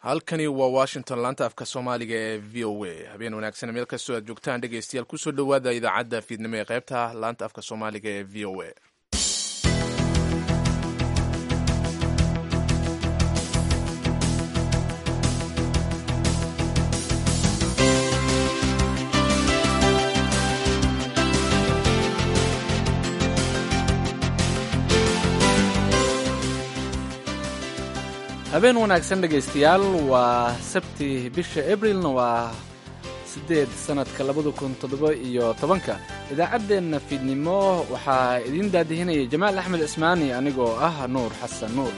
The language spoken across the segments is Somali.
Halkani waa Washington, laanta afka Soomaaliga ee VOA. Habeen wanaagsan meel kastoo aad joogtaan, dhegeystayaal. Kusoo dhowaada idaacadda fiidnimo ee qaybta laanta afka Soomaaliga ee VOA. Habeen wanaagsan, dhegaystayaal. Waa Sabti, bisha Abrilna waa 8, sanadka 2017-ka. Idaacaddeenna fiidnimo waxaa idiin daadihinaya Jamaal Axmed Cismaani, anigoo ah Nuur Xasan Nuur.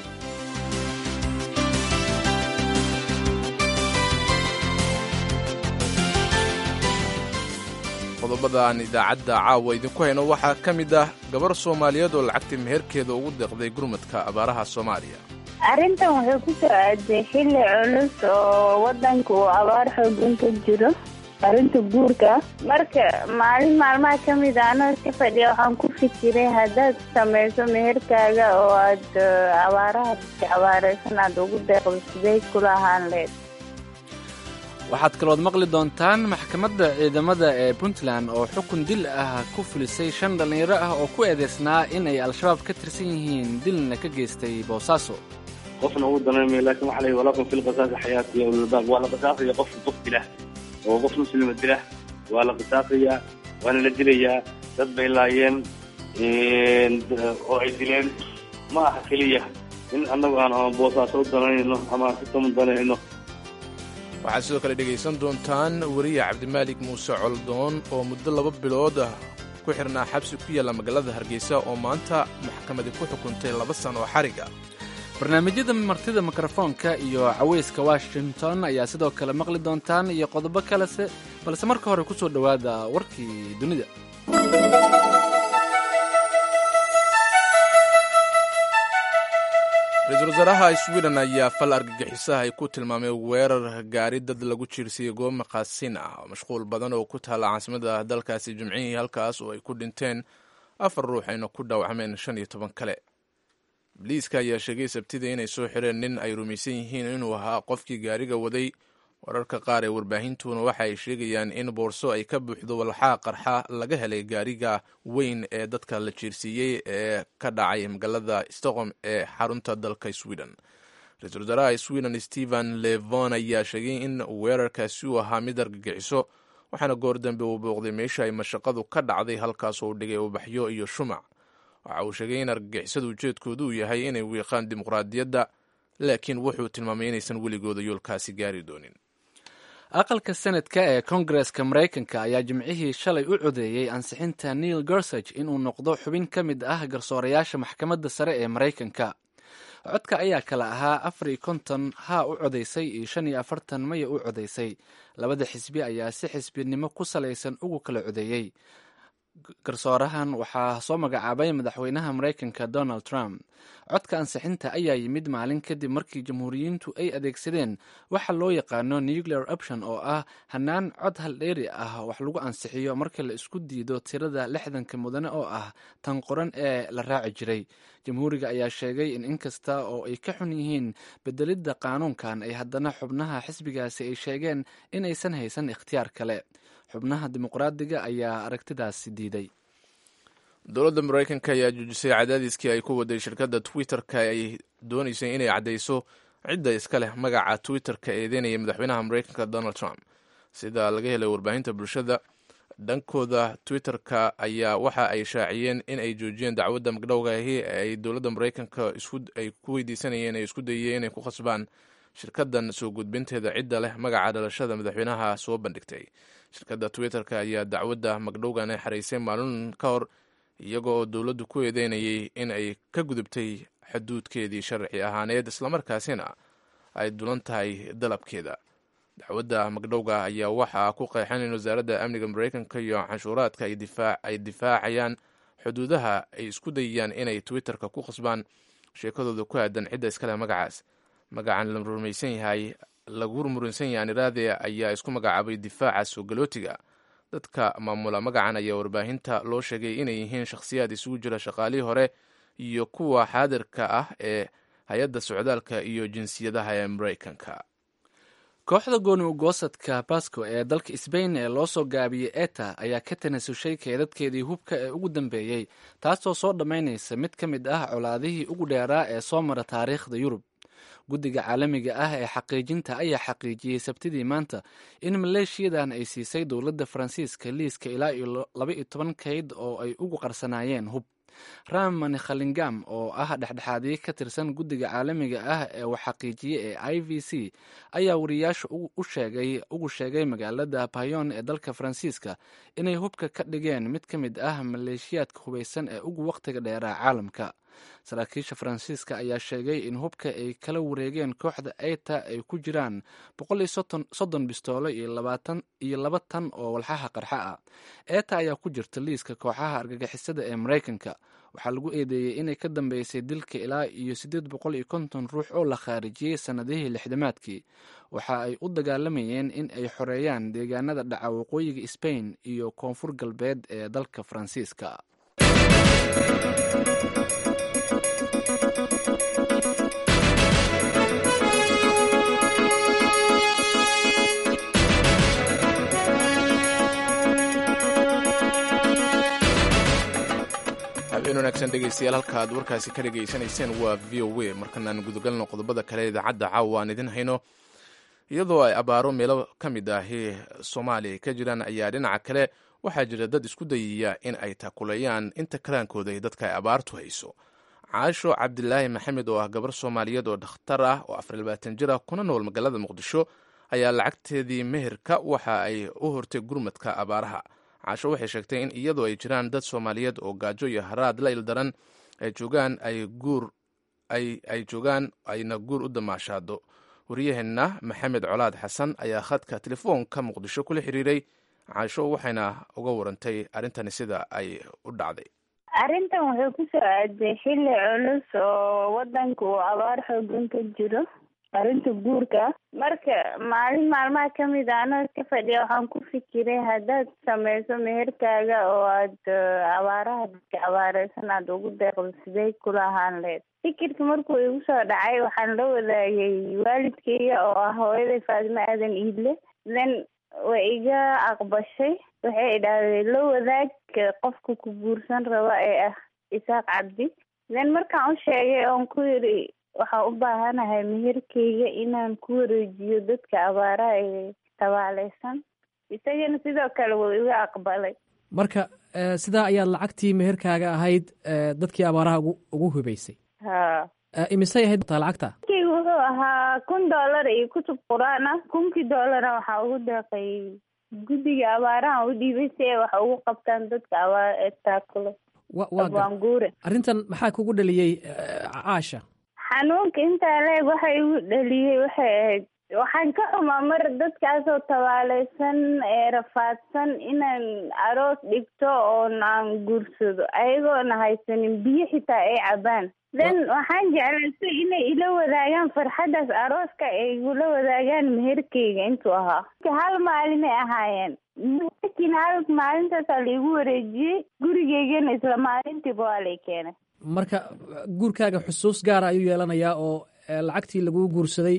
Qodobada aan idaacadda caawa idinku hayno waxaa ka mid ah gabar Soomaaliyeed oo lacagtii meherkeeda ugu deeqday gurmadka abaaraha Soomaaliya. Arrintan wuxuu ku soo aaday xilli culus oo wadanka uu abaar xoogan ka jiro. Arrinta guurka, marka maalin maalmaha ka mid a anoo iska fadhiya, waxaan ku fikiray haddaad samayso meherkaaga oo aad abaaraha abaareysan aad ugu deeqdo, sidee kula ahaan leed? Waxaad kalood maqli doontaan maxkamadda ciidamada ee Puntland oo xukun dil ah ku fulisay shan dhallinyaro ah oo ku eedeysnaa in ay Al-Shabaab ka tirsan yihiin, dilna ka geystay Boosaaso. Qofna ugu danaymayo, laakiin waxa la yidhi: "Walakum fil qisaasi xayaati ya ulilbaab." Waa la qisaasaya qofka qof dila oo qof muslima dila, waa la qisaasayaa, waana la dilayaa. Dad bay laayeen oo ay dileen. Ma aha keliya in annagu aan ama Boosaaso u danayno ama aan si tamu danayno. Waxaad sidoo kale dhegaysan doontaan weriye Cabdimaalik Muuse Coldoon oo muddo 2 bilood ah ku xirnaa xabsi ku yaalla magaalada Hargeysa oo maanta maxkamadi ku xukuntay 2 sano oo xariga. Barnaamijyada martida mikrofoonka iyo caweyska Washington ayaa sidoo kale maqli doontaan iyo qodobo kalese, balse marka hore kusoo dhowaada warkii dunida. Ra-iisul wasaaraha Sweden ayaa fal argagixisaha ay ku tilmaamay weerar gaari dad lagu jiirsiiyey goob maqaasin ah oo mashquul badan oo ku taalla caasimada dalkaasi Jimcihii, halkaas oo ay ku dhinteen afar ruux ayna ku dhaawacmeen 15 kale. Boliiska ayaa sheegay Sabtida inay soo xireen nin ay rumaysan yihiin inuu ahaa qofkii gaariga waday. Wararka qaar ee warbaahintuna waxa ay sheegayaan in boorso ay ka buuxdo walxaa qarxa laga helay gaariga weyn ee dadka la jiirsiiyey ee ka dhacay magaalada Stockholm ee xarunta dalka Sweden. Ra-iisul wasaaraha Sweden Stephen Levon ayaa sheegay in weerarkaasi uu ahaa mid argagixiso, waxaana goor dambe uu booqday meesha ay mashaqadu ka dhacday, halkaas oo u dhigay ubaxyo iyo shumac. Waxa uu sheegay in argagixisadu ujeedkoodu uu yahay inay wiiqaan dimuqraadiyadda, laakiin wuxuu tilmaamay inaysan weligooda yoolkaasi gaari doonin. Aqalka Senadka ee Koongareska Maraykanka ayaa Jimcihii shalay u codeeyey ansixinta Neil Gorsuch inuu noqdo xubin ka mid ah garsoorayaasha maxkamadda sare ee Maraykanka. Codka ayaa kala ahaa 54 haa u codaysay iyo 45 maya u codaysay. Labada xisbi ayaa si xisbinimo ku salaysan ugu kala codeeyey. Garsoorahan waxaa soo magacaabay madaxweynaha Maraykanka Donald Trump. Codka ansixinta ayaa yimid maalin kadib markii Jamhuuriyiintu ay adeegsadeen waxa loo yaqaano nuclear option, oo ah hanaan cod haldheeri ah wax lagu ansixiyo marka la isku diido tirada 60-ka mudane oo ah tan qoran ee la raaci jiray. Jamhuuriga ayaa sheegay in inkasta oo ay ka xun yihiin bedelidda qaanuunkan, ay haddana xubnaha xisbigaasi ay sheegeen inaysan haysan ikhtiyaar kale. Xubnaha Dimuqraadiga ayaa aragtidaasi diiday. Dowladda Maraykanka ayaa joojisay cadaadiskii ay ku waday shirkadda Twitter-ka ay dooneysay inay caddayso cidda iska leh magaca Twitter-ka eedeynaya madaxweynaha Maraykanka Donald Trump. Sida laga helay warbaahinta bulshada dhankooda, Twitter-ka ayaa waxa ay shaaciyeen in ay joojiyeen dacwadda magdhowga ahi ee ay dowladda Maraykanka ay ku weydiisanayeen ay isku dayeen inay ku khasbaan shirkaddan soo gudbinteeda cidda leh magaca dhalashada madaxweynaha soo bandhigtay. Shirkadda Twitter-ka ayaa dacwadda magdhowgan ay xaraysay maalin ka hor, iyaga oo dowladdu ku eedeynayay in ay ka gudubtay xuduudkeedii sharci ahaaneed, islamarkaasina ay dulan tahay dalabkeeda. Dacwadda magdhowga ayaa waxaa ku qeexan in wasaaradda amniga Maraykanka iyo canshuuraadka ay difaacayaan xuduudaha ay isku dayayaan inay Twitter-ka ku khasbaan sheekadooda ku aadan cidda iskaleh magacaas. Magacan la rumaysan yahay, lagu muransan yahay aniraade, ayaa isku magacaabay difaaca soogalootiga. Dadka maamula magacan ayaa warbaahinta loo sheegay inay yihiin shakhsiyaad isugu jira shaqaalihii hore iyo kuwa xaadirka ah ee hay-adda socdaalka iyo jinsiyadaha ee Maraykanka. Kooxda gooni ugoosadka Basco ee dalka Sbain ee loo soo gaabiyey ETA ayaa ka tanasushay keedadkeedii hubka ee ugu dambeeyey, taasoo soo dhammaynaysa mid ka mid ah colaadihii ugu dheeraa ee soo mara taariikhda Yurub. Guddiga caalamiga ah ee xaqiijinta ayaa xaqiijiyey Sabtidii maanta in maleeshiyadan ay siisay dowladda Faransiiska liiska ilaa iyo 12 kayd oo ay ugu qarsanaayeen hub. Raman Khalingam oo ah dhexdhexaadiye ka tirsan guddiga caalamiga ah ee wax xaqiijiye ee IVC ayaa wariyaasha ugu sheegay magaalada Bayon ee dalka Faransiiska inay hubka ka dhigeen mid ka mid ah maleeshiyaadka hubaysan ee ugu wakhtiga dheeraa caalamka. Saraakiisha Faransiiska ayaa sheegay in hubka ay kala wareegeen kooxda ETA ay ku jiraan 130 bistoolo iyo 22 tan oo walxaha qarxa ah. ETA ayaa ku jirta liiska kooxaha argagixisada ee Maraykanka. Waxaa lagu eedeeyey inay ka dambeysay dilka ilaa iyo 850 ruux oo la khaarijiyey sannadihii 60-aadkii. Waxa ay u dagaalamayeen in ay xoreeyaan deegaanada dhaca waqooyiga Sbain iyo koonfur galbeed ee dalka Faransiiska. Habeen wanaagsan dhegeystayaal, halka aad warkaasi ka dhegaysanayseen waa VOA. Markanaan gudagalno qodobada kale idaacadda caawa aan idin hayno. Iyadoo ay abaaro meelo ka mid ahi Soomaaliya ka jiraan ayaa dhinaca kale waxaa jira dad isku dayaya in ay taakuleeyaan inta karaankooda ay dadka ay abaartu hayso. Caasho Cabdilaahi Maxamed oo ah gabar Soomaaliyeed oo dhakhtar ah oo 24 jir ah kuna nool magaalada Muqdisho ayaa lacagteedii meherka waxa ay u hortay gurmadka abaaraha. Caasho waxay sheegtay in iyadoo ay jiraan dad Soomaaliyeed oo gaajo iyo haraad la ildaran ay joogaan ay guur ay joogaan ayna guur u damaashaado. Wariyaheenna Maxamed Colaad Xasan ayaa khadka telefoonka Muqdisho kula xiriiray Caasho, waxayna uga warantay arrintani sida ay u dhacday. Arrintan wuxuu kusoo aaday xilli culus oo wadanka uu abaar xoogan ka jiro, arrinta guurka. Marka maalin maalmaha kamid a anoo iska fadhiya waxaan ku fikiray, haddaad sameyso meherkaaga oo aad abaaraha dadka abaareysan aada ugu deeqdo, sidee kula ahaan lahayd? Fikirka markuu igu soo dhacay waxaan la wadaagay waalidkayga oo ah hooyaday Faadimo Aadan Iidle. Then way iga aqbashay. Waxay idhaahdeen, la wadaag qofka ku guursan raba ee ah Isaaq Cabdi. Then markaan u sheegay oon ku yidhi waxaan u baahanahay meherkeyga inaan ku wareejiyo dadka abaaraha ee tabaaleysan, isagana sidoo kale wuu iga aqbalay. Marka sidaa ayaad lacagtii meherkaaga ahayd dadkii abaaraha ugu hubaysay? Ha. Imisay ahayd lacagta? Meherkeyga wuxuu ahaa $1000 iyo kutub qur-aan ah. 1000-kii dollarna waxaa ugu deeqay guddiga abaaraha, u dhiibay si ay wax ugu qabtaan dadka abaar taakulo. Abwaanguure, arrintan maxaa kugu dhaliyey, Caasha? Xanuunka intaa leeg waxa igu dhaliyey waxay ahayd, waxaan ka xumaa mar dadkaasoo tabaaleysan ee rafaadsan inaan aroos dhigto oon aan guursado ayagoona haysanin biyo xitaa ay cabaan. Then waxaan jeclaystay inay ila wadaagaan farxaddaas arooska, ay igula wadaagaan meherkeyga intuu ahaa. Hal maalinay ahaayeen meherkiina, hal maalintaasaa laigu wareejiyey, gurigeygana isla maalintiiba waa lay keenay. Marka guurkaaga xusuus gaara ayuu yeelanayaa oo lacagtii laguu guursaday,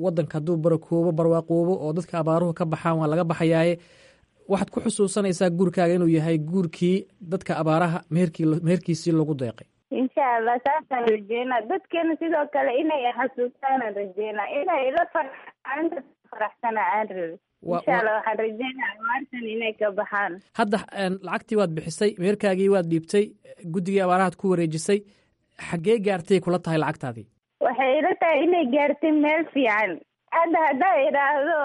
waddanka hadduu barakoobo, barwaaqoobo oo dadka abaaruhu ka baxaan, waa laga baxayaaye, waxaad ku xusuusanaysaa guurkaaga inuu yahay guurkii dadka abaaraha meherkii meherkiisii lagu deeqay. Insha Allah, saasaan rajeynaa. Dadkana sidoo kale inay xasuustaanaan rajeynaa, inay ila farxaalinta faraxsana aan rabin. Insha Allah, waxaan rajeynaa abaartan inay ka baxaan. Hadda lacagtii waad bixisay, meherkaagii waad dhiibtay, guddigii abaarahaad ku wareejisay. Xaggee gaartay kula tahay lacagtaadii? Waxay ila tahay inay gaartay meel fiican. Hadda haddaa idhaahdo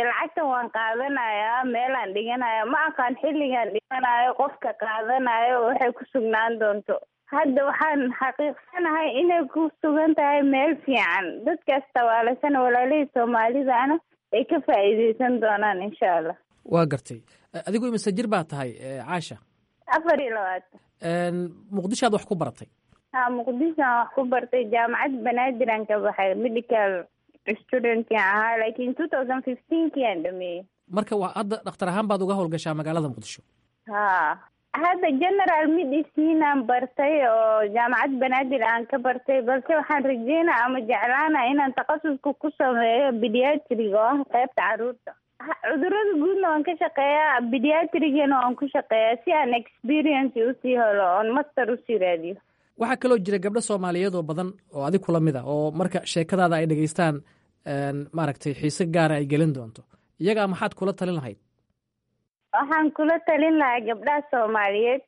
lacagtan waan qaadanayaa, meelaan dhiganaya ma aqaan, xilligaan dhiganayo, qofka qaadanayo, waxay ku sugnaan doonto. Hadda waxaan xaqiiqsanahay inay ku sugan tahay meel fiican, dadkaas tabaalaysana, walaalihii Soomaalidana ay ka faa'iideysan doonaan insha Allah. Waa gartay. Adigu imise jir baa tahay, Caasha? 24. Muqdishoaad wax ku baratay? Ha, Muqdishoan wax ku bartay. Jaamacad Banaadir aan ka baxay, medical studentkan ahaa, laakiin 2015-kii aan dhameeyey. Marka waa hadda dhakhtar ahaan baad uga howlgashaa magaalada Muqdisho? Ha. Hadda general medicine aan bartay oo jaamacad Banaadir aan ka bartay, balse waxaan rajeynaa ama jeclaana inaan takhasuska ku sameeyo pediatric oo ah qaybta caruurta. Cudurada guudna waan ka shaqeeyaa, pediatrigana waan ku shaqeeyaa si aan experience usii helo oon master usii raadiyo. Waxaa kaloo jira gabdho Soomaaliyeed oo badan oo adig kula mid a oo marka sheekadaada ay dhegaystaan maaragtay xiise gaara ay gelin doonto. Iyagaa maxaad kula talin lahayd? Waxaan kula talin lahaa gabdhaha Soomaaliyeed,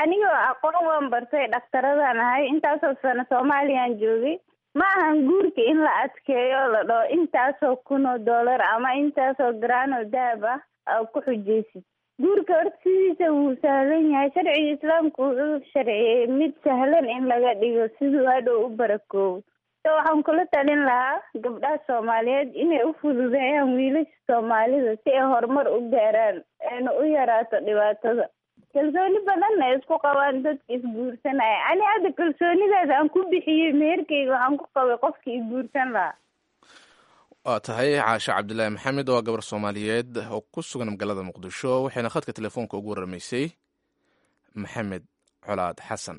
anigoo aqoon waan bartay, dhakhtaradaan ahay, intaasoo sano Soomaaliyaan joogay. Ma ahan guurka in la adkeeyo, la dhaho intaasoo kun oo dollar ama intaasoo garaan oo dahab ah aa ku xujaysid. Guurka horta sidiisa wuu sahlan yahay. Sharciga Islaamku wuxuu sharciyey mid sahlan in laga dhigo siduu hadhow u barakoobo. So waxaan kula talin lahaa gabdhaha Soomaaliyeed inay u fududeeyaan wiilasha Soomaalida si ay horumar u gaaraan, ayna u yaraato dhibaatada. Kalsooni badanna ay isku qabaan dadka isguursanaya. Ani hadda kalsoonidaas aan ku bixiyey meherkeyga waxaan ku qabay qofkii isguursan lahaa. Waa tahay. Caashe Cabdilaahi Maxamed waa gabar Soomaaliyeed oo ku sugan magaalada Muqdisho, waxayna khadka telefoonka ugu waramaysay Maxamed Colaad Xasan.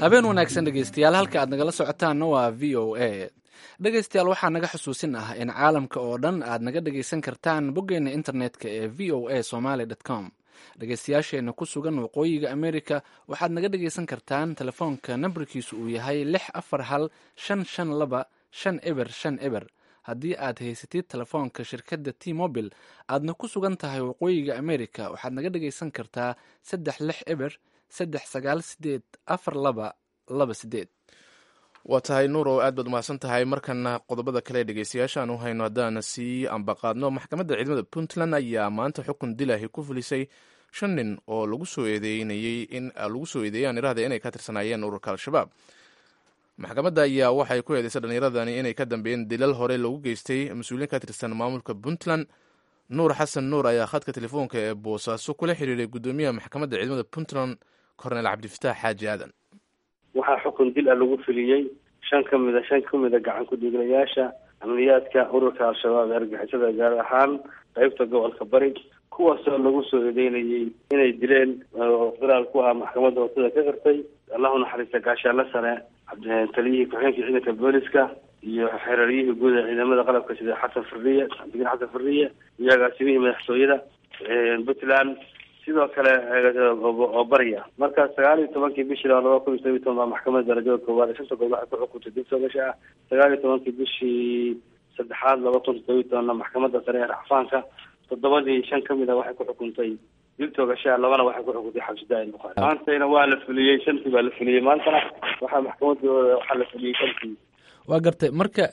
Habeen wanaagsan dhegeystayaal, halka aad nagala socotaanna waa VOA. Dhegeystayaal, waxaa naga xusuusin ah in caalamka oo dhan aad naga dhegeysan kartaan boggeena internetka ee voasomali.com. Dhegeystayaasheena ku sugan waqooyiga America waxaad naga dhegeysan kartaan telefoonka nambarkiisu uu yahay 641 552 5050. Haddii aad haysatid telefoonka shirkadda T Mobile aadna ku sugan tahay waqooyiga America, waxaad naga dhegeysan kartaa 360 398 4228. Waa tahay Nuur, oo aad baad umahadsan tahay. Markana qodobada kale ee dhegeystayaasha aan u hayno haddaana sii ambaqaadno, maxkamadda ciidamada Puntland ayaa maanta xukun dilahi ku fulisay shan nin oo lagu soo eedeynayey in lagu soo eedeeyaan iraahda inay ka tirsanaayeen ururka Al-Shabaab. Maxkamadda ayaa waxay ku eedeysay dhallinyaradani inay ka dambeeyeen dilal hore loogu geystay mas-uuliyiin ka tirsan maamulka Puntland. Nuur Xasan Nuur ayaa khadka telefoonka ee Boosaaso kula xiriiray guddoomiyaha maxkamadda ciidamada Puntland, Korneel Cabdifataax Xaaji Aadan. Waxaa xukun dil ah lagu fuliyey shan kamida gacan ku-dhiiglayaasha amniyaadka ururka Al-Shabaab ee argixisada, gaar ahaan qeybta gobolka Bari, kuwaasoo lagu soo eedeynayey inay dileen oo qiraal ku ah maxkamadda hortada ka qirtay, Allahu naxariista gaashaanle sare taliyihii ku-xigeenka ciidanka booliska iyo xereeryihii guud ee ciidamada qalabka sida Xasan Firiye, Cabdigen Xasan Firiye, iyo agaasimihii madaxtooyada Puntland sidoo kale oo Bariya. Marka 19-kii bishii 2017 baa maxkamadda darajada koowaad ee shanta goob waxay ku xukuntay dib soogasha ah. 19-kii bishii saddexaad 2017-na maxkamadda sare ee racfaanka toddobadii shan ka mid a waxay ku xukuntay dil toogashaa, labana waxay ku xukuntay xabsi daa'im. Bukhaari maantayna waa la fuliyey, shantii baa la fuliyey maantana. Waxaa maxkamadooda waxaa la fuliyey shantii. Waa gartay. Marka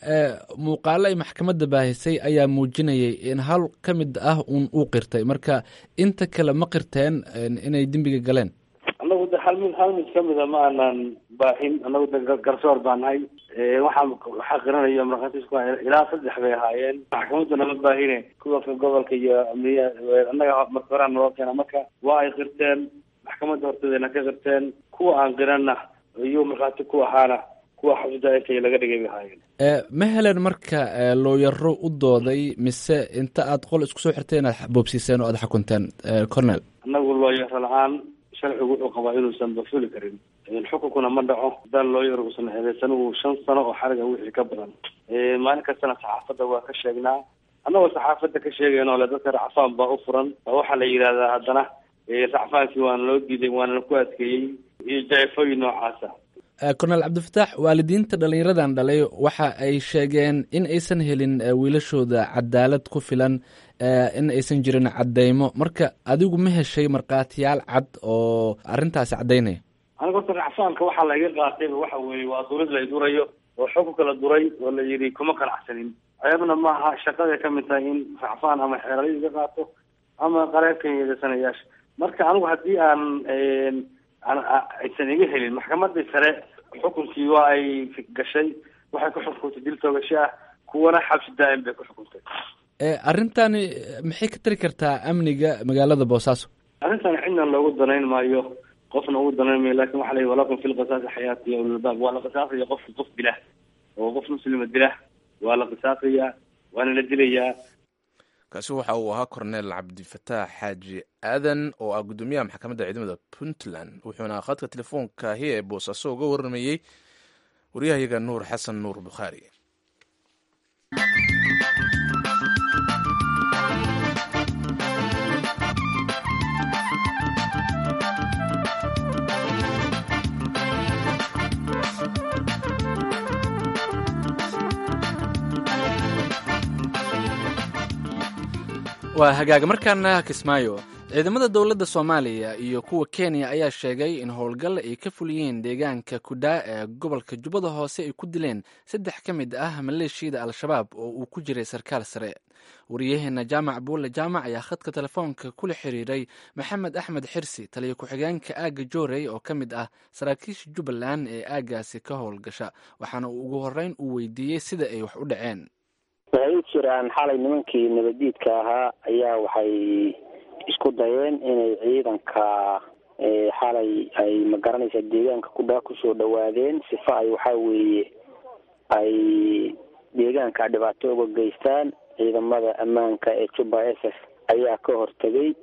muuqaalo ay maxkamadda baahisay ayaa muujinayay in hal ka mid ah uun uu qirtay. Marka inta kale ma qirteen inay dembiga galeen? Annagu de hal mid kamida ma aanan baahin. Annagu de garsoor baa nahay. Waxaa qiranaya markhaatiisku ilaa saddex bay ahaayeen. Maxkamadduna ma baahine, kuwa gobolka iyo amniya annaga marka horaa naloo keena. Marka waa ay qirteen, maxkamadda horteedana ka qirteen. Kuwa aan qiranna iyo markhaati ku ahaana kuwa xabsida intay laga dhigay bay ahaayeen. Ma heleen marka looyaro u dooday, mise inta aad qol isku soo xirteen aad boobsiiseen oo aad xukunteen, Cornel? Annagu looyaro la-aan sharcigu wuxuu qabaa inuusan ba fuli karin, xukunkuna ma dhaco haddaan looyar uusan eedeysanuhu 5 sano oo xariga wixii ka badan. Maalin kastana saxaafadda waa ka sheegnaa. Annagoo saxaafadda ka sheegayno le dadka racfaan baa u furan, waxaa la yidhahdaa haddana racfaankii waana loo diiday, waana laku adkeeyey iyo jacifooyin noocaasa. Cornel Cabdifataax, waalidiinta dhallinyaradan dhalay waxa ay sheegeen in aysan helin wiilashooda cadaalad ku filan, in aysan jirin caddeymo. Marka adigu ma heshay markhaatiyaal cad oo arrintaasi caddaynaya? Aniga horta racfaanka waxaa la iga qaatayba waxa weeye waa durid la idurayo oo xukunka la duray oo la yidhi kuma qanacsanin. Ceebna maaha, shaqaday ka mid tahay in racfaan ama xeeralyo iga qaato ama qareebkan yeedeysanayaasha. Marka anigu haddii aan aysan iga helin, maxkamadii sare xukunkii waa ay gashay, waxay ku xukuntay dil toogasho ah, kuwana xabsi daa'im bay ku xukuntay. Arrintani maxay ka tari kartaa amniga magaalada Boosaaso? Arrintani cidna loogu danayn maayo. Qofna ugu danaymay, laakin waxa la yihi walakum fi lqisaasi xayaati ya ulilbaab. Waa la qisaasaya qofka qof dila oo qof muslima dila, waa la qisaasayaa waana la dilayaa. Kaasi waxa uu ahaa Korneel Cabdifataax Xaaji Aadan oo ah guddoomiyaha maxkamadda ciidamada Puntland, wuxuuna khadka telefoonkahi ee Boosaaso uga warramayey waryahayaga Nuur Xasan Nuur Bukhaari. Waa hagaaga. Markaana Kismaayo, ciidamada dowladda Soomaaliya iyo kuwa Kenya ayaa sheegay in howlgal ay ka fuliyeen deegaanka Kudhaa ee gobolka Jubbada Hoose ay ku dileen saddex ka mid ah maleeshiyada Al-Shabaab oo uu ku jiray sarkaal sare. Wariyaheena Jaamac Buulle Jaamac ayaa khadka telefoonka kula xiriiray Maxamed Axmed Xirsi, taliyo ku-xigeenka aagga Joorey oo ka mid ah saraakiisha Jubbaland ee aaggaasi ka howlgasha, waxaana uu ugu horreyn uu weydiiyey sida ay wax u dhaceen. Waxay u jiraan xalay nimankii nabadiidka ahaa ayaa waxay isku dayeen inay ciidanka xalay ay magaranaysa deegaanka Kudhaa kusoo dhawaadeen, sifa ay waxaa weeye ay deegaanka dhibaato uga geystaan. Ciidamada ammaanka ee Jubba S S ayaa ka hortegay,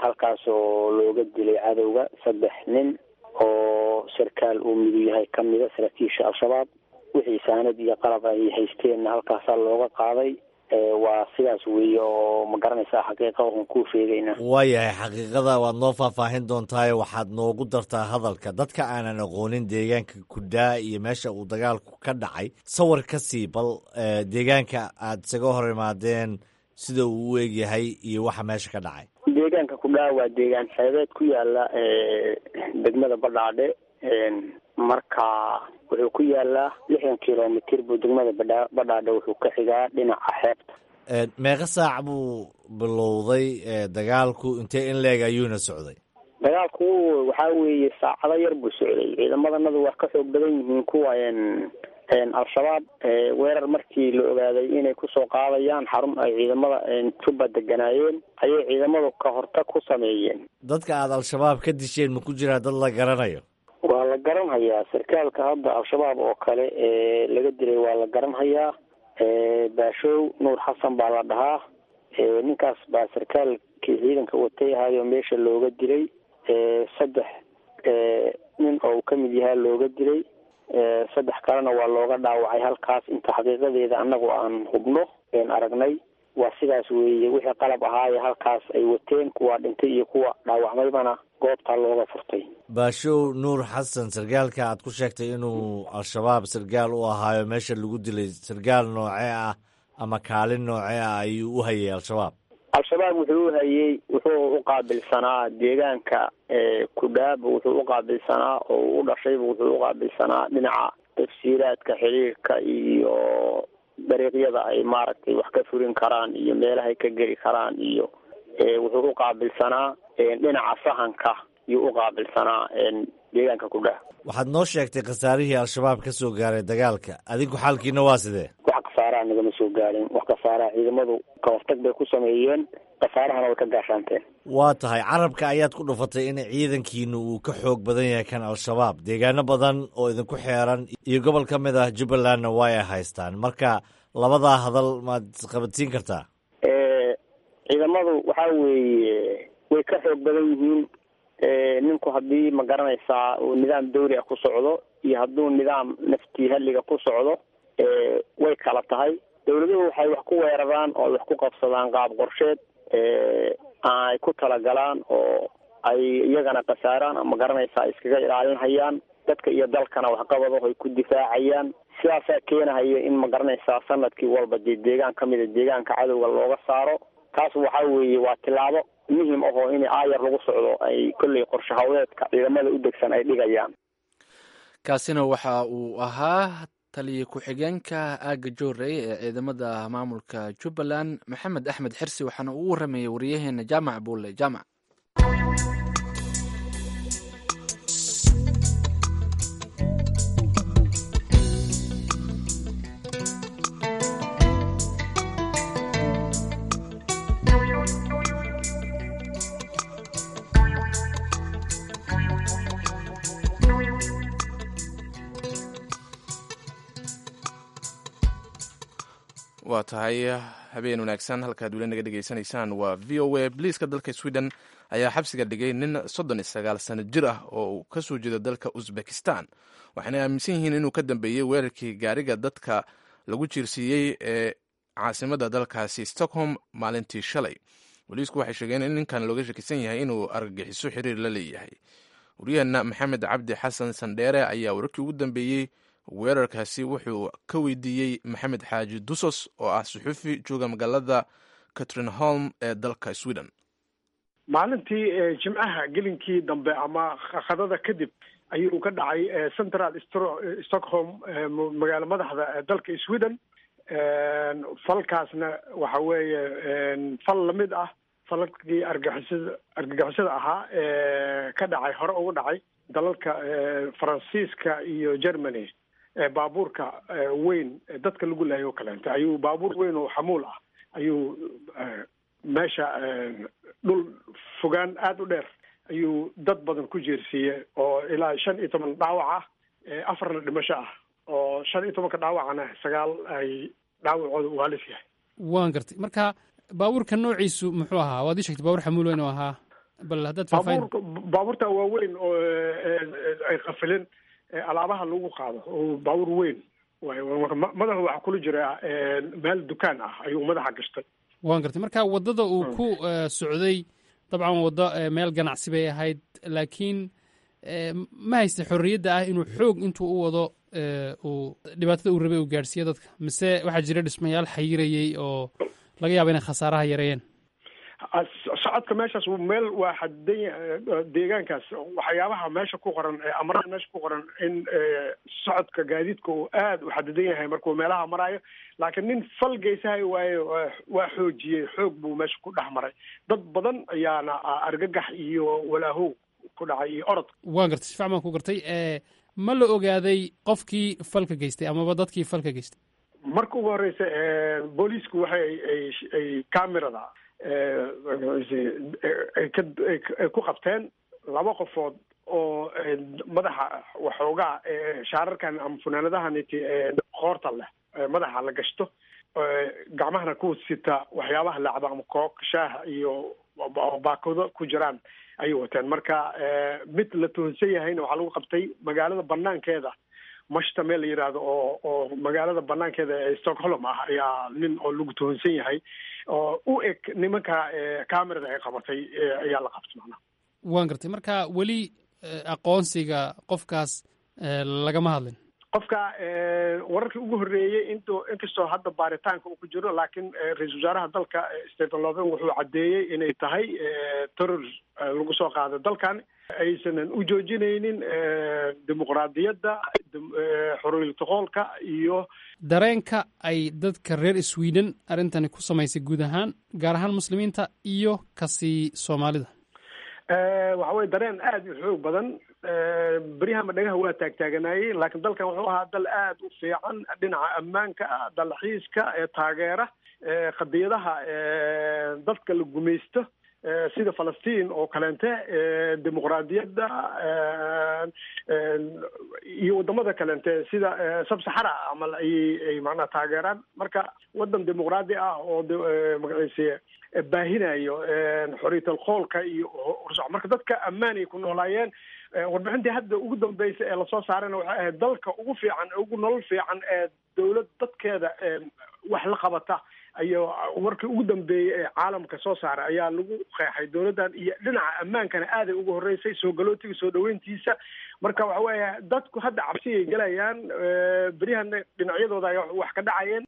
halkaas oo looga dilay cadowga saddex nin oo sarkaal uu midu yahay kamida saraakiisha Al-Shabaab. Wixii saanad iyo qalab ay haysteenna halkaasaa looga qaaday. Waa sidaas weeye oo ma garanaysaa xaqiiqa waxaan kuu sheegayna. Waayahay, xaqiiqada waad noo faahfaahin doontaayo waxaad noogu dartaa hadalka dadka aanan aqoonin deegaanka Kudhaa iyo meesha uu dagaalku ka dhacay. Sawir ka sii bal deegaanka aad isaga hor imaadeen, sida uu u egyahay iyo waxa meesha ka dhacay. Deegaanka Kudhaa waa deegaan xeebeed ku yaala degmada Badhaadhe. Marka wuxuu ku yaalaa 60 kilomitir buu degmada Badhaadhe wuxuu ka xigaa dhinaca xeebta. Meeqa saac buu bilowday dagaalku? Intee in leeg ayuuna socday? Dagaalku waxaa weeye saacado yar buu socday. Ciidamadanadu waa ka xoog badan yihiin kuwa Al-Shabaab. Weerar markii la ogaaday inay kusoo qaadayaan xarun ay ciidamada Jubba deganaayeen ayay ciidamadu ka hortag ku sameeyeen. Dadka aada Al-Shabaab ka disheen ma ku jiraa dad la garanayo? Waa la garanhayaa. Sarkaalka hadda Al-Shabaab oo kale ee laga dilay waa la garanhayaa. Baashow Nuur Xasan baa la dhahaa. Ninkaas baa sarkaalkii ciidanka watay ahaayo meesha looga dilay. Saddex nin oo uu kamid yahaa looga dilay, saddex kalena waa looga dhaawacay halkaas. Inta xaqiiqadeeda annagu aan hubno een aragnay waa sidaas weeye. Wixii qalab ahaaye halkaas ay wateen, kuwa dhintay iyo kuwa dhaawacmaybana goobtaa looga furtay. Baashow Nuur Xasan, sargaalka aad ku sheegtay inuu Al-Shabaab sargaal u ahaayo meesha lagu dilay, sargaal noocee ah ama kaalin noocee ah ayuu u hayay Al-Shabaab? Al-Shabaab wuxuu u hayey, wuxuu u qaabilsanaa deegaanka Kudhaaba wuxuu u qaabilsanaa oo u dhashayba, wuxuu u qaabilsanaa dhinaca tafsiiraadka xiriirka iyo dariiqyada ay maaragtay wax ka furin karaan iyo meelahay ka geli karaan, iyo wuxuu u qaabilsanaa dhinaca sahanka yuu u qaabilsanaa deegaanka Kudhaa. Waxaad noo sheegtay khasaarihii Al-Shabaab ka soo gaaray dagaalka. Adinku xaalkiina waa sidee? Wax khasaaraha nagama soo gaarin. Wax khasaaraha ciidamadu ka hortag bay ku sameeyeen, khasaarahana way ka gaashaanteen. Waa tahay, carabka ayaad ku dhufatay in ciidankiinu uu ka xoog badan yahay kan Al-Shabaab. Deegaano badan oo idinku xeeran iyo gobol ka mid ah Jubbalandna way ay haystaan. Marka labadaa hadal maad isqabadsiin kartaa? Ciidamadu waxaa weeye way ka xoog badan yihiin. Ninku haddii ma garanaysaa uu nidaam dawli ah ku socdo iyo hadduu nidaam naftii halliga ku socdo way kala tahay. Dawladuhu waxay wax ku weeraraan oo ay wax ku qabsadaan qaab qorsheed ay ku talagalaan oo ay iyagana khasaaraan ama garanaysaa iskaga ilaalinhayaan dadka iyo dalkana waxqabadaho ay ku difaacayaan. Sidaasaa keenahaya in ma garanaysaa sanadkii walba dee deegaan ka mida deegaanka cadowga looga saaro. Taas waxaa weeye waa tilaabo muhim ahoo in aayar lagu socdo ay kolley qorshe hawleedka ciidamada u degsan ay dhigayaan. Kaasina waxa uu ahaa taliye ku-xigeenka aagga Joorey ee ciidamada maamulka Jubbaland, Maxamed Axmed Xirsi, waxaana uu u waramayey wariyaheena Jaamac Buulle Jaamac. Waa tahay, habeen wanaagsan. Halkaad weli naga dhegeysanaysaan waa VOA. Boliiska dalka Sweden ayaa xabsiga dhigay nin 39 sano jir ah oo uu ka soo jeedo dalka Uzbekistan, waxayna aaminsan yihiin inuu ka dambeeyey weerarkii gaariga dadka lagu jiirsiiyey ee caasimadda dalkaasi Stockholm maalintii shalay. Boliisku waxay sheegeen in ninkan looga shakisan yahay inuu argagixiso xiriir la leeyahay. Waryaheena Maxamed Cabdi Xasan Sandheere ayaa wararkii ugu dambeeyey weerarkaasi wuxuu ka weydiiyey Maxamed Xaaji Dusos oo ah suxufi jooga magaalada Katrineholm ee dalka Sweden. Maalintii Jimcaha gelinkii dambe ama khadada kadib ayuu ka dhacay central Stockholm, magaalo madaxda dalka Sweden. Falkaasna waxa weeye fal lamid ah falalkii argagixisada ahaa ee ka dhacay, hore uga dhacay dalalka Faransiiska iyo Germany. Baabuurka weyn dadka lagu laayo o kaleenta ayuu, baabuur weyn oo xamuul ah ayuu meesha dhul fogaan aada u dheer ayuu dad badan ku jeersiiyey, oo ilaa 15 dhaawac ah, afarna dhimasho ah, oo 15-ka dhaawacana sagaal ay dhaawacooda uu halis yahay. Waan gartay. Marka baabuurka noociisu muxuu ahaa? Waad ii sheegtay baabuur xamuul weyn oo ahaa, bal haddaad faahfaahin. Baabuurta waaweyn oo ay qafilin alaabaha lagu qaado, oo baabuur weyn waay. Madaxu waxaa kula jira meel dukaan ah ayuu madaxa gashtay. Waan gartay. Marka waddada uu ku socday, dabcan waddo meel ganacsi bay ahayd, laakiin ma haysta xorriyadda ah inuu xoog intuu u wado uu dhibaatada uu rabay uu gaadhsiiyo dadka, mise waxaa jira dhismayaal xayirayey oo laga yaaba inay khasaaraha yareeyeen? Socodka meeshaas meel waa xadidan deegaankaas. Waxyaabaha meesha ku qoran, amraha meesha ku qoran, in socodka gaadiidka uu aada u xadidan yahay markuu meelaha maraayo, laakiin nin fal geysahay waaye, waa xoojiyey, xoog buu meesha ku dhex maray. Dad badan ayaana argagax iyo walaahow ku dhacay iyo orod. Waan gartay, si fiican baan ku gartay. Ma la ogaaday qofkii falka geystay amaba dadkii falka geystay? Marka ugu horeysa booliisku waxay ay camerada ay ku qabteen laba qofood oo madaxa waxoogaa shaararkan ama funaanadahaniti qoorta leh madaxa la gashto, gacmahana ku sita waxyaabaha lacba ama kook shaaha iyo baakado ku jiraan ayay wateen. Marka mid la tuhunsan yahayna waxaa lagu qabtay magaalada banaankeeda, Mashta meel la yidhaahdo oo magaalada banaankeeda ee Stockholm ah ayaa nin oo lagu tuhunsan yahay oo u eg nimanka camerada ay qabatay ayaa la qabtay macnaha. Waan gartay. Marka weli aqoonsiga qofkaas lagama hadlin? Qofka wararkii ugu horreeyey, inkastoo hadda baaritaanka uu ku jiro, laakiin ra-iisul wasaaraha dalka Stephen Loven wuxuu caddeeyey inay tahay terror lagu soo qaado dalkan, aysanan u joojinaynin dimuqraadiyadda, xoriyatoqoolka iyo Dareenka ay dadka reer Sweden arrintani ku samaysay guud ahaan, gaar ahaan muslimiinta iyo kasii Soomaalida? Waxa weye dareen aada u xoog badan. Beryahama dhagaha waa taagtaaganaayey, laakiin dalkan wuxuu ahaa dal aada u fiican dhinaca ammaanka ah, dalxiiska, taageera qadiyadaha dadka la gumaysto sida Falastiin oo kaleente, dimuqraadiyadda iyo wadamada kaleente sida Sabsaxara amal ayay macnaha taageeraan. Marka wadan dimuqraadi ah oo magaciise baahinayo xorriyatal qoolka iyo horsoc, marka dadka ammaan ay ku noolaayeen. Warbixintii hadda ugu dambeysay ee lasoo saarayna waxay ahayd dalka ugu fiican, ugu nolol fiican ee dowlad dadkeeda wax la qabata ayo warkii ugu dambeeyey ee caalamka soo saaray ayaa lagu qeexay dowladdan, iyo dhinaca ammaankana aaday ugu horreysay, soo galootiga soo dhaweyntiisa. Marka waxa weeye dadku hadda cabsiyay galayaan, beryahana dhinacyadooda ay wax ka dhacayeen.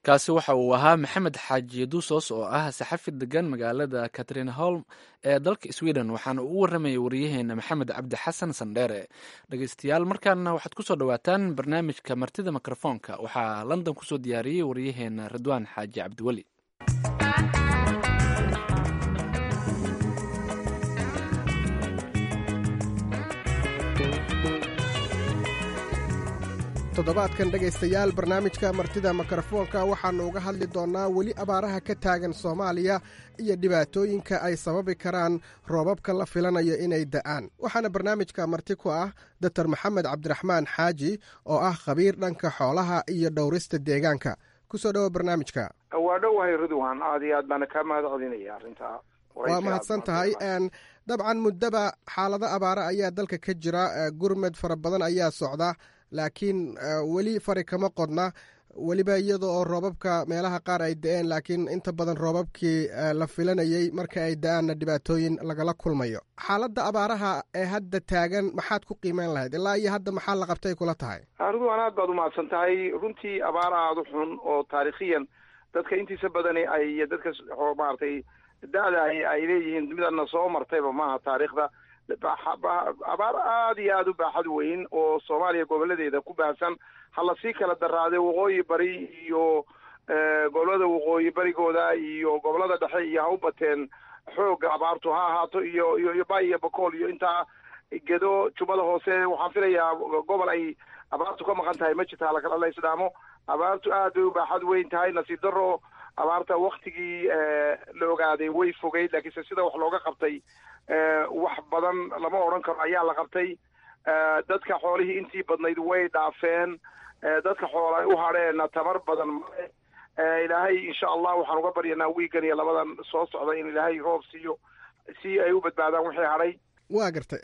Kaasi waxa uu ahaa Maxamed Xaaji Dusos oo ah saxafi degan magaalada Katrineholm ee dalka Sweden, waxaana uu u waramayay wariyaheena Maxamed Cabdi Xasan Sandheere. Dhegeystayaal, markaana waxaad kusoo dhawaataan barnaamijka Martida Mikrofoonka. Waxaa London kusoo diyaariyey wariyaheena Ridwaan Xaaji Cabdiweli. Toddobaadkan, dhegaystayaal, barnaamijka Martida Mikrofoonka waxaannu uga hadli doonnaa weli abaaraha ka taagan Soomaaliya iyo dhibaatooyinka ay sababi karaan roobabka la filanayo inay da'aan. Waxaana barnaamijka marti ku ah Doktor Maxamed Cabdiraxmaan Xaaji oo ah khabiir dhanka xoolaha iyo dhowrista deegaanka, Kusoo dhowo barnaamijka. Waa dhowahay Ridwan, aad iyo aad baana kaa mahad celinaya arrintaa. Waa mahadsan tahay. Dabcan muddaba xaalado abaara ayaa dalka ka jira, gurmed fara badan ayaa socda, laakiin weli fari kama qodna, weliba iyada oo roobabka meelaha qaar ay da-een, laakiin inta badan roobabkii la filanayey marka ay da-aanna dhibaatooyin lagala kulmayo. Xaaladda abaaraha ee hadda taagan maxaad ku qiimeyn lahayd? Ilaa iyo hadda maxaa la qabtay kula tahay? Ridwan, aad baad umahadsan tahay. Runtii abaar aada u xun oo taariikhiyan dadka intiisa badani ay dadka maaragtay da-da ay leeyihiin midana soo martayba maaha taariikhda. Abaar aada iyo aada u baaxad weyn oo Soomaaliya goboladeeda ku baahsan, ha lasii kala daraaday waqooyi bari iyo gobolada waqooyi barigooda iyo gobolada dhexe iyo ha u bateen xoogga abaartu ha ahaato, iyo iyo bay iyo Bakool iyo intaa Gedo, Jubbada Hoose. Waxaan filayaa gobol ay abaartu ka maqan tahay ma jirta, halakala la isdhaamo. Abaartu aad bay u baaxad weyn tahay. Nasiib daro, abaarta waktigii la ogaaday way fogeyd, laakiinse sida wax looga qabtay wax badan lama odhan karo ayaa la qabtay. Dadka xoolihii intii badnayd way dhaafeen, dadka xoola u hadheenna tamar badan male. Ilaahay insha Allah waxaan uga baryanaa wiigan iyo labadan soo socda in Ilaahay roob siiyo si ay u badbaadaan wixii hadhay. Waa gartay.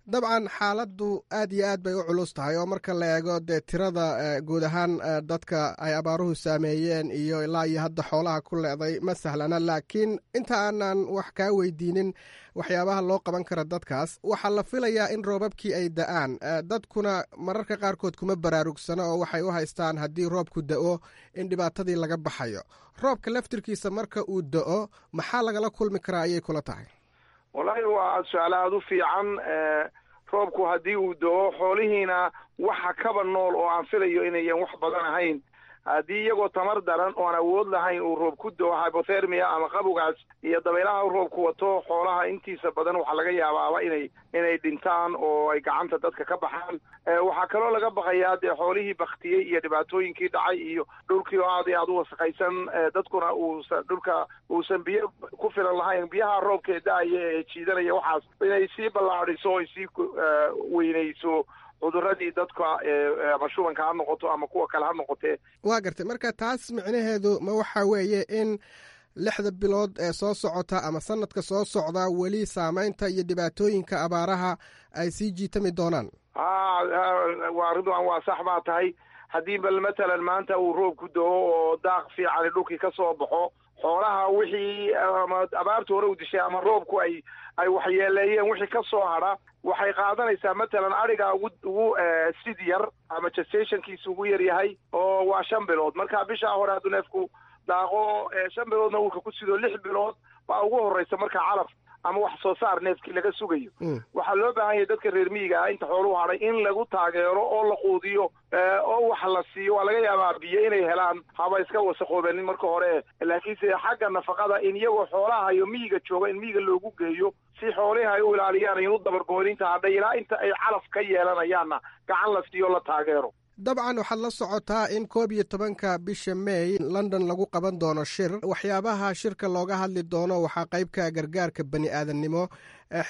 Dabcan xaaladdu aad iyo aad bay u culus tahay, oo marka la eego dee tirada guud ahaan dadka ay abaaruhu saameeyeen iyo ilaa iyo hadda xoolaha ku leeday ma sahlana. Laakiin inta aanan wax kaa weydiinin waxyaabaha loo qaban kara dadkaas, waxaa la filayaa in roobabkii ay da-aan. Dadkuna mararka qaarkood kuma baraarugsano oo waxay u haystaan haddii roobku da-o in dhibaatadii laga baxayo. Roobka laftirkiisa marka uu da-o maxaa lagala kulmi karaa ayay kula tahay? Wallahi waa su-aal aada u fiican. Roobku haddii uu do-o, xoolihiina waxa kaba nool oo aan filayo inayan wax badan ahayn, haddii iyagoo tamar daran oo aan awood lahayn uu roob ku do-o, hypothermia ama qabowgaas iyo dabaylaha roobku wato, xoolaha intiisa badan waxaa laga yaabaaba inay dhintaan oo ay gacanta dadka ka baxaan. Waxaa kaloo laga baqayaa dee xoolihii baktiyey iyo dhibaatooyinkii dhacay iyo dhulkii oo aad iyo aada u wasakhaysan, dadkuna uusan dhulka uusan biyo ku filan lahayn, biyaha roobka ee da-aya ee jiidanaya waxaas inay sii ballaadhiso o ay sii weynayso cuduradii dadka, ama shubanka ha noqoto ama kuwa kale ha noqotee. Waa gartay. Marka taas micnaheedu ma waxa weeye in 6da bilood ee soo socota ama sanadka soo socda weli saameynta iyo dhibaatooyinka abaaraha ay sii jiitami doonaan? Waa Ridwan, waa sax baa tahay. Haddii bal matalan maanta uu roobku do-o oo daaq fiicani dhulkii ka soo baxo, xoolaha wixii ama abaartu hore u dishay ama roobku ay waxyeeleeyeen wixii ka soo hadha, waxay qaadanaysaa matalan ariga ugu sid yar ama gestationkiisa ugu yar yahay oo waa 5 bilood. Marka bishaa hore hadduu neefku daaqo, 5 biloodna uurka ku sido, 6 bilood baa ugu horeysa marka calaf ama wax soo saar neefkii laga sugayo. Waxaa loo baahan yahay dadka reer miyiga ah inta xooluhu hadhay in lagu taageero oo la quudiyo oo wax la siiyo. Waa laga yaabaa biyo inay helaan, haba iska wasaqoobenin marka hore, laakiinse xagga nafaqada in iyagoo xoolaha iyo miyiga jooga in miyiga loogu geeyo si xoolihi ay u ilaaliyaan, in u dabargooninta hadhay ilaa inta ay calaf ka yeelanayaanna gacan la siiyo, la taageero. Dabcan waxaad la socotaa in 11-ka bisha May London lagu qaban doono shir. Waxyaabaha shirka looga hadli doono waxaa qaybka gargaarka bani aadamnimo.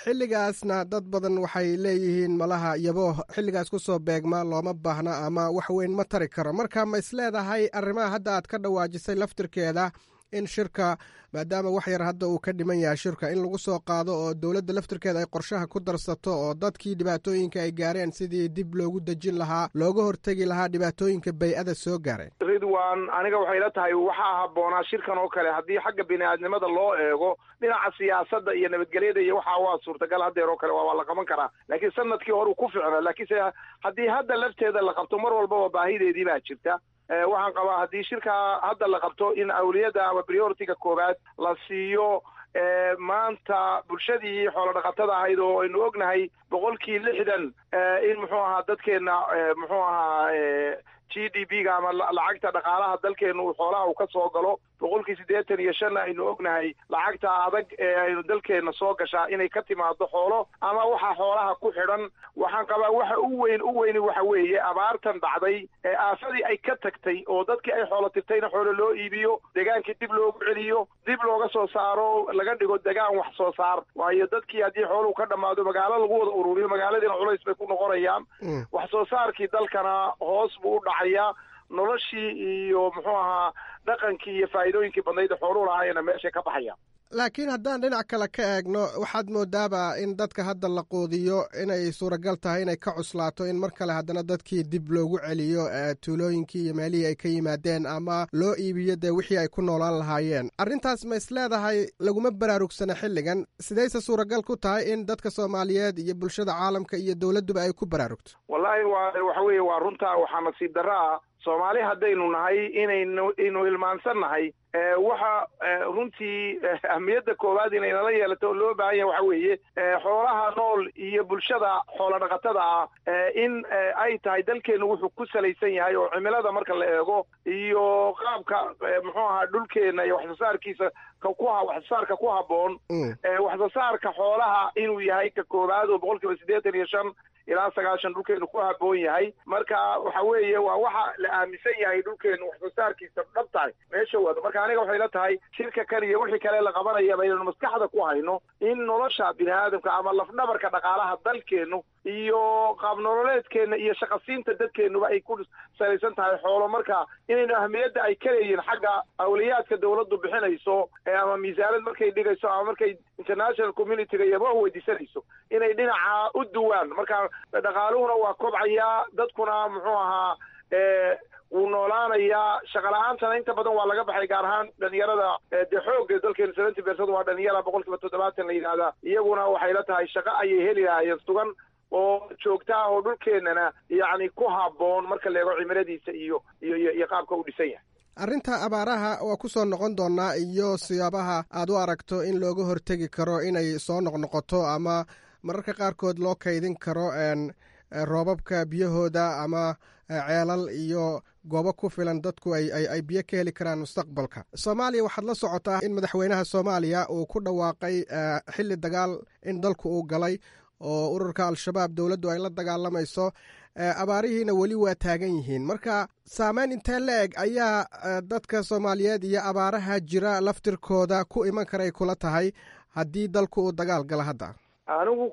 Xilligaasna dad badan waxay leeyihiin malaha yabooh xilligaas kusoo beegma looma baahna ama wax weyn ma tari karo. Marka ma isleedahay arrimaha hadda aad ka dhawaajisay laftirkeeda in shirka, maadaama wax yar hadda uu ka dhiman yahay shirka, in lagu soo qaado oo dowladda laftirkeeda ay qorshaha ku darsato oo dadkii dhibaatooyinka ay gaareen sidii dib loogu dejin lahaa, looga hortegi lahaa dhibaatooyinka bay-ada soo gaaray? Ridwan, aniga waxay la tahay waxaa habboonaa shirkan oo kale haddii xagga bini-aadnimada loo eego, dhinaca siyaasadda iyo nabadgelyada iyo waxaa waa suurtagal haddeer oo kale waa la qaban karaa, laakiin sanadkii hore uu ku ficnaa. Laakiinse haddii hadda lafteeda la qabto, mar walbaba baahideedii baa jirta. Waxaan qabaa haddii shirkaa hadda la qabto in awliyadda ama priority-ga koowaad la siiyo maanta bulshadii xoolo dhaqatada ahayd, oo aynu ognahay 60% in muxuu ahaa dadkeena muxuu ahaa GDP-ga ama lacagta dhaqaalaha dalkeenu xoolaha uu ka soo galo, 85%-na aynu ognahay lacagta adag ee aynu dalkeena soo gashaa inay ka timaado xoolo ama waxa xoolaha ku xidhan. Waxaan qabaa waxa u weyn u weyni waxa weeye abaartan dhacday ee aafadii ay ka tagtay oo dadkii ay xoolo tirtayna xoolo loo iibiyo, degaankii dib loogu celiyo, dib looga soo saaro, laga dhigo degaan wax soo saar. Waayo dadkii haddii xooluhu ka dhammaado, magaalo lagu wada ururiyo, magaaladiina culays bay ku noqonayaan, wax soo saarkii dalkana hoos buu u dhacayaa. Noloshii iyo muxuu ahaa dhaqankii iyo faa'iidooyinkii badnayd xooluhu lahaayena meeshay ka baxayaan. Laakiin haddaan dhinac kale ka eegno, waxaad moodaaba in dadka hadda la quudiyo inay suuragal tahay inay ka cuslaato in mar kale haddana dadkii dib loogu celiyo tuulooyinkii iyo meelihii ay ka yimaadeen ama loo iibiyo dee wixii ay ku noolaan lahaayeen. Arrintaas ma is leedahay laguma baraarugsana xilligan? Sidayse suuragal ku tahay in dadka Soomaaliyeed iyo bulshada caalamka iyo dowladduba ay ku baraarugto? Wallaahi, waa waxa weeye, waa runta. Waxaa nasiib darro ah Soomaali haddaynu nahay inaynu inu hilmaansan nahay. Waxa runtii ahmiyadda koowaad inay nala yeelato oo loo baahan yahay waxa weeye xoolaha nool iyo bulshada xoola dhaqatada ah in ay tahay dalkeennu wuxuu ku salaysan yahay, oo cimilada marka la eego iyo qaabka muxuu ahaa dhulkeenna iyo waxsoosaarkiisa waxsoosaarka ku habboon, waxsoosaarka xoolaha inuu yahay ka koowaad oo 85% ilaa 90 dhulkeenu ku habboon yahay. Marka waxa weeye waa waxa la aaminsan yahay dhulkeenu waxsoosaarkiisa dhab tahay meesha wado. Marka aniga waxay la tahay shirka kan iyo wixii kale la qabanayaba inaynu maskaxda ku hayno in nolosha bini aadamka ama lafdhabarka dhaqaalaha dalkeenu iyo qaab nololeedkeena iyo shaqasiinta dadkeenuba ay ku salaysan tahay xoolo. Marka inaynu ahmiyadda ay ka leeyihin xagga awliyaadka dawladdu bixinayso ama miisaanad markay dhigayso ama markay international community-ga iyaba weydiisanayso inay dhinaca u duwaan. Marka dhaqaaluhuna waa kobcayaa, dadkuna muxuu ahaa wuu noolaanayaa, shaqala-aantana inta badan waa laga baxay, gaar ahaan dhalinyarada. Dee xoogga dalkeenu 70% waa dhalinyara, 70% la yidhahdaa. Iyaguna waxay la tahay shaqo ayay heli lahaayeen sugan oo joogta ah oo dhulkeennana yacni ku habboon marka la eego cimiladiisa iyo qaabka u dhisan yahay. Arrinta abaaraha waa ku soo noqon doonaa iyo siyaabaha aad u aragto in looga hortegi karo inay soo noqnoqoto ama mararka qaarkood loo kaydin karo roobabka biyahooda ama ceelal iyo goobo ku filan dadku ay biyo ka heli karaan mustaqbalka. Soomaaliya waxaad la socotaa in madaxweynaha Soomaaliya uu ku dhawaaqay xilli dagaal in dalku uu galay oo ururka Al-Shabaab dowladdu ay la dagaalamayso, abaarihiina weli waa taagan yihiin. Marka saameyn intee la eg ayaa dadka Soomaaliyeed iyo abaaraha jira laftirkooda ku iman karay kula tahay haddii dalku uu dagaal galo hadda? Anigu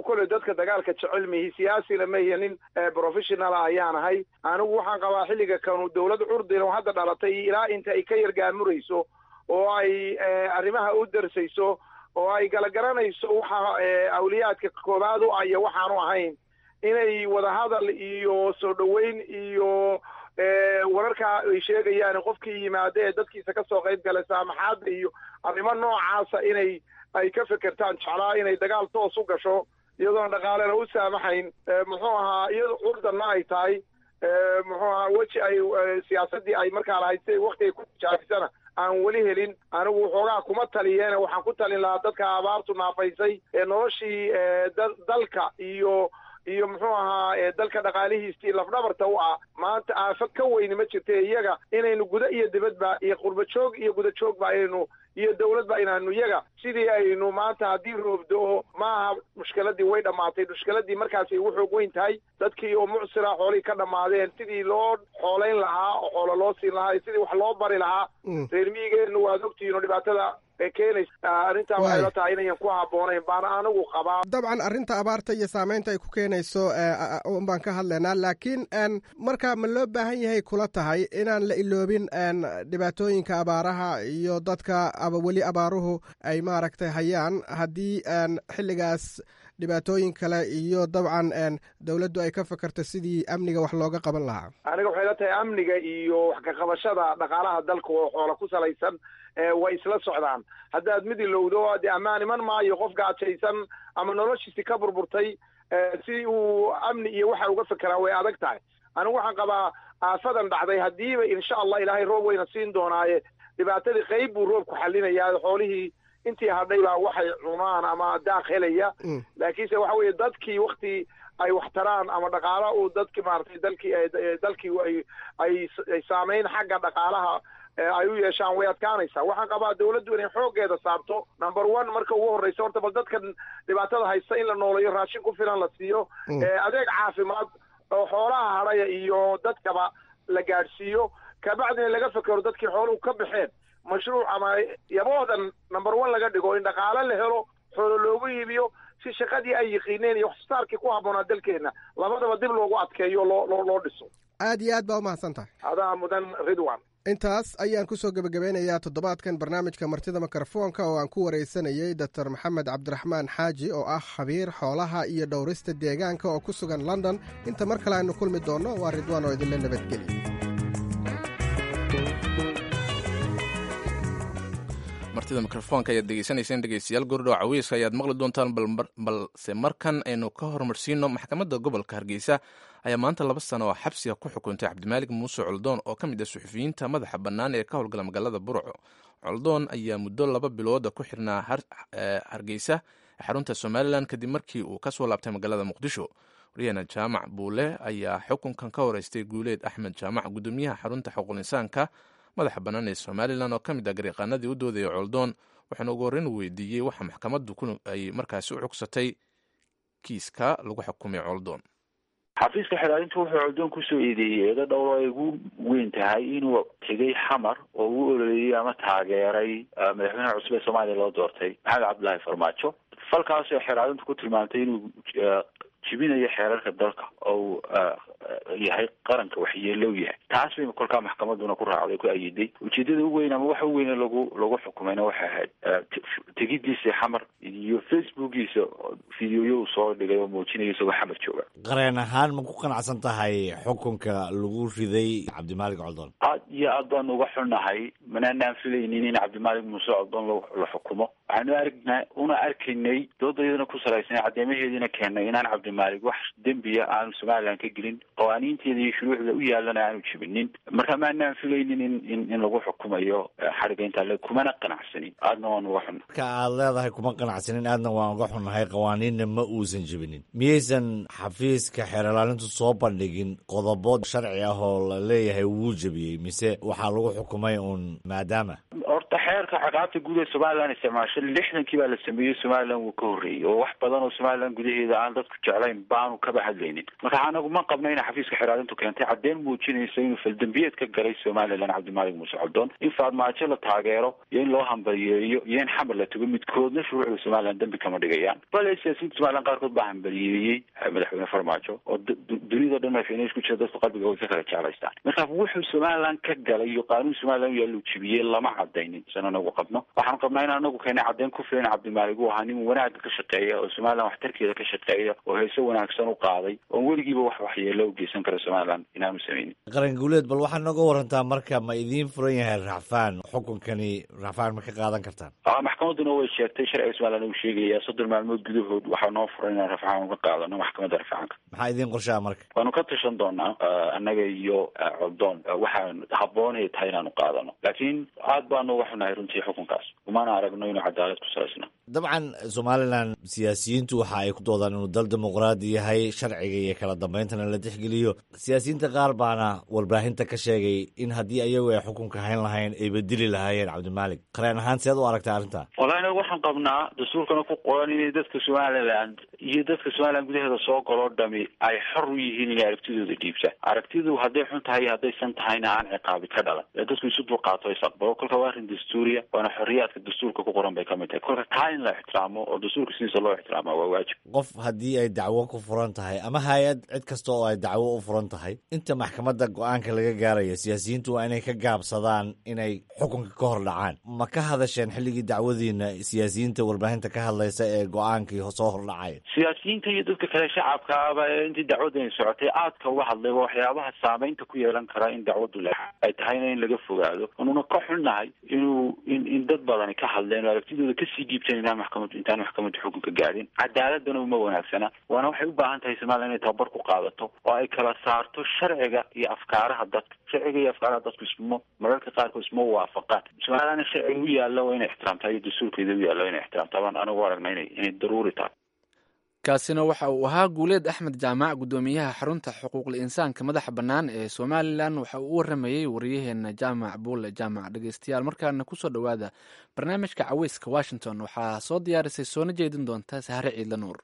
koley dadka dagaalka jecel mihi, siyaasina mahiya, nin professional ayaan ahay. Anigu waxaan qabaa xilliga kanu dowlad curdin oo hadda dhalatay ilaa inta ay ka yargaamurayso oo ay arrimaha u darsayso oo ay galagaranayso waxa awliyaadka koowaad u ah iyo waxaanu ahayn, inay wadahadal iyo soo dhoweyn iyo wararka ay sheegayaan qofkii yimaada ee dadkiisa kasoo qayb galay saamaxaadda iyo arrimo noocaasa inay ay ka fekertaan jeclaa. Inay dagaal toos u gasho iyadoona dhaqaalena u saamaxayn, muxuu ahaa, iyado curdanna ay tahay, muxuu ahaa, weji ay siyaasaddii ay markaa lahayd si wakti ay ku tijaabisana aan weli helin, anigu waxoogaa kuma taliyeene. Waxaan ku talin lahaa dadka abaartu naafaysay ee noloshii dalka iyo muxuu ahaa dalka dhaqaalihiisii lafdhabarta u ah, maanta aafo ka weyni ma jirta, iyaga inaynu guda iyo dibadba iyo qurba joog iyo guda joogba aynu iyo dowladba inaanu iyaga sidii aynu maanta haddii roob do-o maaha mushkiladii way dhammaatay. Mushkiladii markaasay ugu xoog weyn tahay dadkii oo mucsira, xoolihii ka dhammaadeen, sidii loo xoolayn lahaa oo xoolo loo siin lahaa iyo sidii wax loo bari lahaa reer miyigeenu. Waad ogtihiin oo dhibaatada keenaysa arrintaa waxay la tahay inayan ku habboonayn baana anigu qabaa. Dabcan arrinta abaarta iyo saameynta ay ku keenayso un baan ka hadlaynaa, laakiin marka ma loo baahan yahay kula tahay inaan la iloobin dhibaatooyinka abaaraha iyo dadka weli abaaruhu ay maaragtay hayaan haddii xilligaas dhibaatooyin kale iyo dabcan dowladdu ay ka fakarto sidii amniga wax looga qaban lahaa? Aniga waxay la tahay amniga iyo wax ka qabashada dhaqaalaha dalka oo xoola ku salaysan way isla socdaan. Haddaad mid ilowdo dee ammaan iman maayo. Qof gaajaysan ama noloshiisi ka burburtay si uu amni iyo waxa uga fekeraa way adag tahay. Anigu waxaan qabaa aafadan dhacday haddiiba insha Allah Ilaahay roob weyna siin doonaaye, dhibaatadii qayb buu roobku xalinayaa, xoolihii intii hadhay baa waxay cunaan ama daaq helaya. Laakiinse waxa weeye dadkii wakti ay wax taraan ama dhaqaala uu dadki maaragtay dalkii ay saameyn xagga dhaqaalaha ay u yeeshaan way adkaanaysaa. Waxaan qabaa dawladdu inay xooggeeda saarto number one marka ugu horreysa horta bal dadkan dhibaatada haysta in la nooleeyo, raashin ku filan la siiyo, adeeg caafimaad oo xoolaha hadhaya iyo dadkaba la gaadhsiiyo, kabacdina laga fekero dadkii xooluhu ka baxeen mashruuc ama yaboodan number one laga dhigo in dhaqaale la helo, xoolo loogu iibiyo si shaqadii ay yiqiineen iyo waxsoosaarkii ku habboonaa dalkeenna labadaba dib loogu adkeeyo loo dhiso. Aad iyo aad baa umahadsan tahay. Adaa mudan, Ridwan. Intaas ayaan ku soo gebagabeynayaa toddobaadkan barnaamijka martida mikrofoonka oo aan ku waraysanayey Doctor Maxamed Cabdiraxmaan Xaaji oo ah khabiir xoolaha iyo dhowrista deegaanka oo ku sugan London. Inta mar kale aynu kulmi doonno, waa Ridwaan oo idinla nabadgeliya. Martida mikrofoonka ayaad degeysanayseen, dhegeystayaal. Gordhow cawiiska ayaad maqli doontaan, balse markan aynu ka horumarsiino. Maxkamadda gobolka Hargeysa ayaa maanta 2 sano oo xabsiga ku xukuntay Cabdimaalig Muuse Coldoon oo ka mid ah suxufiyiinta madaxa bannaan ee ka howlgala magaalada Burco. Coldoon ayaa muddo 2 bilooda ku xirnaa Hargeysa, xarunta Somalilan, kadib markii uu kasoo laabtay magaalada Muqdisho. Waryaheena Jaamac Buule ayaa xukunkan ka horeystay Guuleed Axmed Jaamac, gudoomiyaha xarunta xuquuqul insaanka madaxa bannaan ee Somalilan oo ka mid ah gariiqaanadii u doodayay Coldoon, waxaana ugu horreyn weydiiyey waxa maxkamaddu ay markaasi u cugsatay kiiska lagu xukumay Coldoon. Xafiiska xilaalintu wuxuu Coldoon kusoo eedeeyey eedo dhowr oo ay ugu weyn tahay inuu tegay Xamar oo uu ololeeyey ama taageeray madaxweynaha cusub ee Soomaaliya loo doortay, Maxamed Cabdullaahi Farmaajo. Falkaasoo xilaalintu ku tilmaantay inuu jibinayo xeerarka dalka oo uu yahay qaranka waxyeelow yahay. Taas bay kolkaa maxkamaduna ku raacday, ku ayiday. Ujeedada u weyn ama waxa u weyne lagu xukumayna waxay ahayd tegidiisa Xamar iyo Facebookiisa videoyo uu soo dhigay oo muujinaya isagoo Xamar jooga. Qareen ahaan, ma ku qanacsan tahay xukunka lagu riday Cabdimaalig Coldoon? Aad iyo aad baanu uga xunnahay. Manaanaan filaynin in Cabdimaalig Muuse Coldoon la xukumo. Waxaanu aragna una arkaynay, doodayaduna ku salaysan, cadeymaheediina keennay inaan Cabdimaalig wax dembiya aanu Somaliland ka gelin, qawaaniinteeda iyo shuruucda u yaalana aanu jibinin. Marka maanaan filaynin in lagu xukumayo xadhigga intaa le, kumana qanacsanin, aadna waan uga xunna. Marka aad leedahay kuma qanacsanin, aadna waan uga xunnahay, qawaaniinna ma uusan jibinin, miyaysan xafiiska xeerlaalintu soo bandhigin qodobo sharci ah oo la leeyahay wuu jebiyey, mise waxaa lagu xukumay uun maadaama Horta xeerka ciqaabta guud ee Somaliland isticmaasho 60-kii baa la sameeyey. Somaliland wuu ka horreeyey oo wax badan oo Somaliland gudaheeda aan dadku jeclayn baanu kaba hadlaynin. Marka anagu ma qabno ina xafiiska xeeraalintu keentay caddeyn muujinaysa inuu faldambiyeed ka galay Somaliland Cabdimaalig Muuse Coldoon. In Farmaajo la taageero iyo in loo hambaliyeeyo iyo in Xamar la tago midkoodna shuruucda Somaliland dembi kama dhigayaan. Bale siyaasiyiinta Somaliland qaarkood baa hambaliyeeyey madaxweyne Farmaajo oo dunida dhan madaxweyne isku jira, dadku qalbiga way ka kala jeclaystaan. Marka wuxuu Somaliland ka galay iyo qaanuun Somaliland yaallu jibiyey lama cadaynin. San anagu qabno, waxaanu qabnaa in anagu keenay caddeyn ku filan Cabdimaalig uu ahaa nin wanaagga ka shaqeeya oo Somaliland waxtarkeeda ka shaqeeya oo heeso wanaagsan u qaaday oon weligiiba wax waxyeelo u geysan kara Somaliland inaanu sameynin. Qaran Guuleed, bal waxaad nooga warantaa marka, ma idiin furan yahay racfaan? Xukunkani racfaan ma ka qaadan kartaan? Maxkamadduna way sheegtay, sharciga Somaliland uu sheegayaa 30 maalmood gudahood waxaa noo furan inaan rafcaan uga qaadano maxkamadda rafcaanka. Maxaa idiin qorshaa marka? Waanu ka tashan doonaa annaga iyo Coldoon waxaan habboonay tahay inaanu qaadano, laakiin aad baanu uga xunahay runtii xukunkaas, umana aragno inuu cadaalad ku salaysna. Dabcan Somalilan siyaasiyiintu waxa ay ku doodaan inuu dal dimuqraadi yahay, sharciga iyo kala dambayntana la tixgeliyo. Siyaasiyiinta qaar baana warbaahinta ka sheegay in haddii ayagu ay xukunka hayn lahayn ay bedeli lahaayeen Cabdimaalik. Qareen ahaan, seed u aragta arrinta? Wallahi inagu waxaan qabnaa, dastuurkana ku qoran, inay dadka Somaliland iyo dadka Somaliland gudaheeda soo galoo dhami ay xor u yihiin inay aragtidooda dhiibtaan. Aragtidu hadday xun tahay iyo haddaysan tahayna aan ciqaabi ka dhalan ee dadku isu dulqaato, is aqbalo. Kolka waa arrin dastuuriya, waana xorriyaadka dastuurka ku qoran bay kamid tahay. Kolka taa in la ixtiraamo oo dastuurka sidiisa loo ixtiraamaa waa waajib. Qof haddii ay dacwo ku furan tahay ama hay-ad, cid kasta oo ay dacwo u furan tahay, inta maxkamadda go-aanka laga gaarayo siyaasiyiintu waa inay ka gaabsadaan inay xukunka ka hor dhacaan. Ma ka hadasheen xilligii dacwadiina siyaasiyiinta warbaahinta ka hadlaysa ee go-aankii soo hordhacaya? Siyaasiyiinta iyo dadka kale shacabka aba ee intii dacwadani socotay aadka uga hadlayba waxyaabaha saameynta ku yeelan karaa in dacwaddu le ay tahayna in laga fogaado, anuna ka xunnahay inuu in dad badani ka hadleen oo aragtidooda kasii dhiibteen inaan maxkamaddu intaan maxkamaddu xukunka gaadhin. Cadaaladana uma wanaagsana, waana waxay u baahan tahay Somaliland inay tababar ku qaadato oo ay kala saarto sharciga iyo afkaaraha dadka. Sharciga iyo afkaaraha dadku isma mararka qaarkood isma waafaqaan. Somalilandna sharciga u yaalla waa inay ixtiraamtaa iyo dastuurkeeda u yaalla waa inay ixtiraamtaa baan anigu aragna inay daruuri tahay. Kaasina waxa uu ahaa Guuleed Axmed Jaamac, guddoomiyaha xarunta xuquuqul insaanka madaxa bannaan ee Somalilan. Waxa uu u waramayey wariyaheena Jaamac Buule Jaamac. Dhegeystayaal, markaana kusoo dhowaada barnaamijka Caweyska Washington. Waxaa soo diyaarisay soona jeedin doonta Sahre Ciidla Nuur.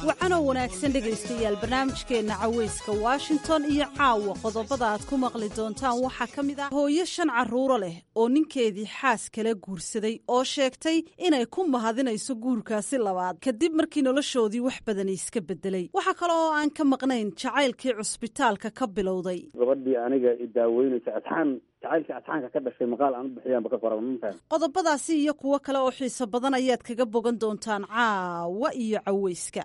Wacanoo wanaagsan dhegaystayaal, barnaamijkeenna caweyska Washington iyo caawa qodobada aad ku maqli doontaan waxaa ka mid ah hooyo shan carruuro leh oo ninkeedii xaas kala guursaday oo sheegtay inay ku mahadinayso guurkaasi labaad kadib markii noloshoodii wax badani iska bedelay. Waxaa kale oo aan ka maqnayn jacaylkii cusbitaalka ka bilowday. Gabadhii aniga idaaweynaysa asxaan, jacaylkii asxaanka ka dhashay, maqaal aan u bixiyaanba ka qoran, ma fahan. Qodobadaasi iyo kuwo kale oo xiiso badan ayaad kaga bogan doontaan caawa iyo caweyska.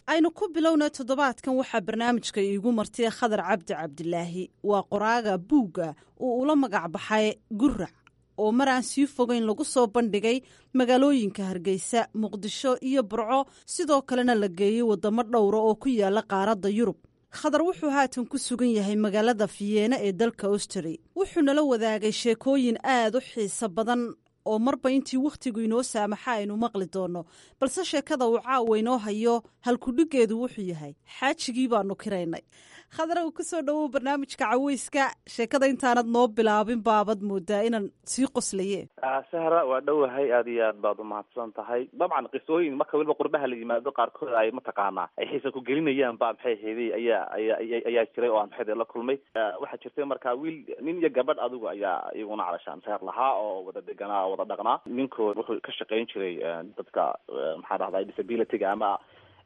Aynu ku bilowna toddobaadkan waxaa barnaamijka iigu martay Khadar Cabdi Cabdilaahi. Waa qoraaga buugga uu ula magac baxay Gurac, oo mar aan sii fogeyn lagu soo bandhigay magaalooyinka Hargeysa, Muqdisho iyo Burco, sidoo kalena la geeyey waddamo dhowra oo ku yaala qaaradda Yurub. Khadar wuxuu haatan ku sugan yahay magaalada Fiyeena ee dalka Austri. Wuxuu nala wadaagay sheekooyin aad u xiiso badan oo marba intii wakhtigu inoo saamaxa aynu maqli doonno, balse sheekada uu caawa inoo hayo halkudhigeedu wuxuu yahay "Xaajigii baanu kiraynay". Khadar, kusoo dhowow barnaamijka caweyska. Sheekada intaanad noo bilaabin baabad moodaa inaan sii qoslaye. Sahra, waa dhowahay, aad iyo aad baad umahadsan tahay. Dabcan qisooyin marka weliba qurbaha la yimaado qaarkood ay mataqaanaa ay xiisa ku gelinayaan ba maxay hayday ayaa jiray oo aan maxay la kulmay. Waxaa jirtay markaa wiil, nin iyo gabadh adigu ayaa iyaguna calashaan reer lahaa oo wada deganaa oo wada dhaqnaa. Ninkooda wuxuu ka shaqayn jiray dadka, maxaa dhahday, disability-ga ama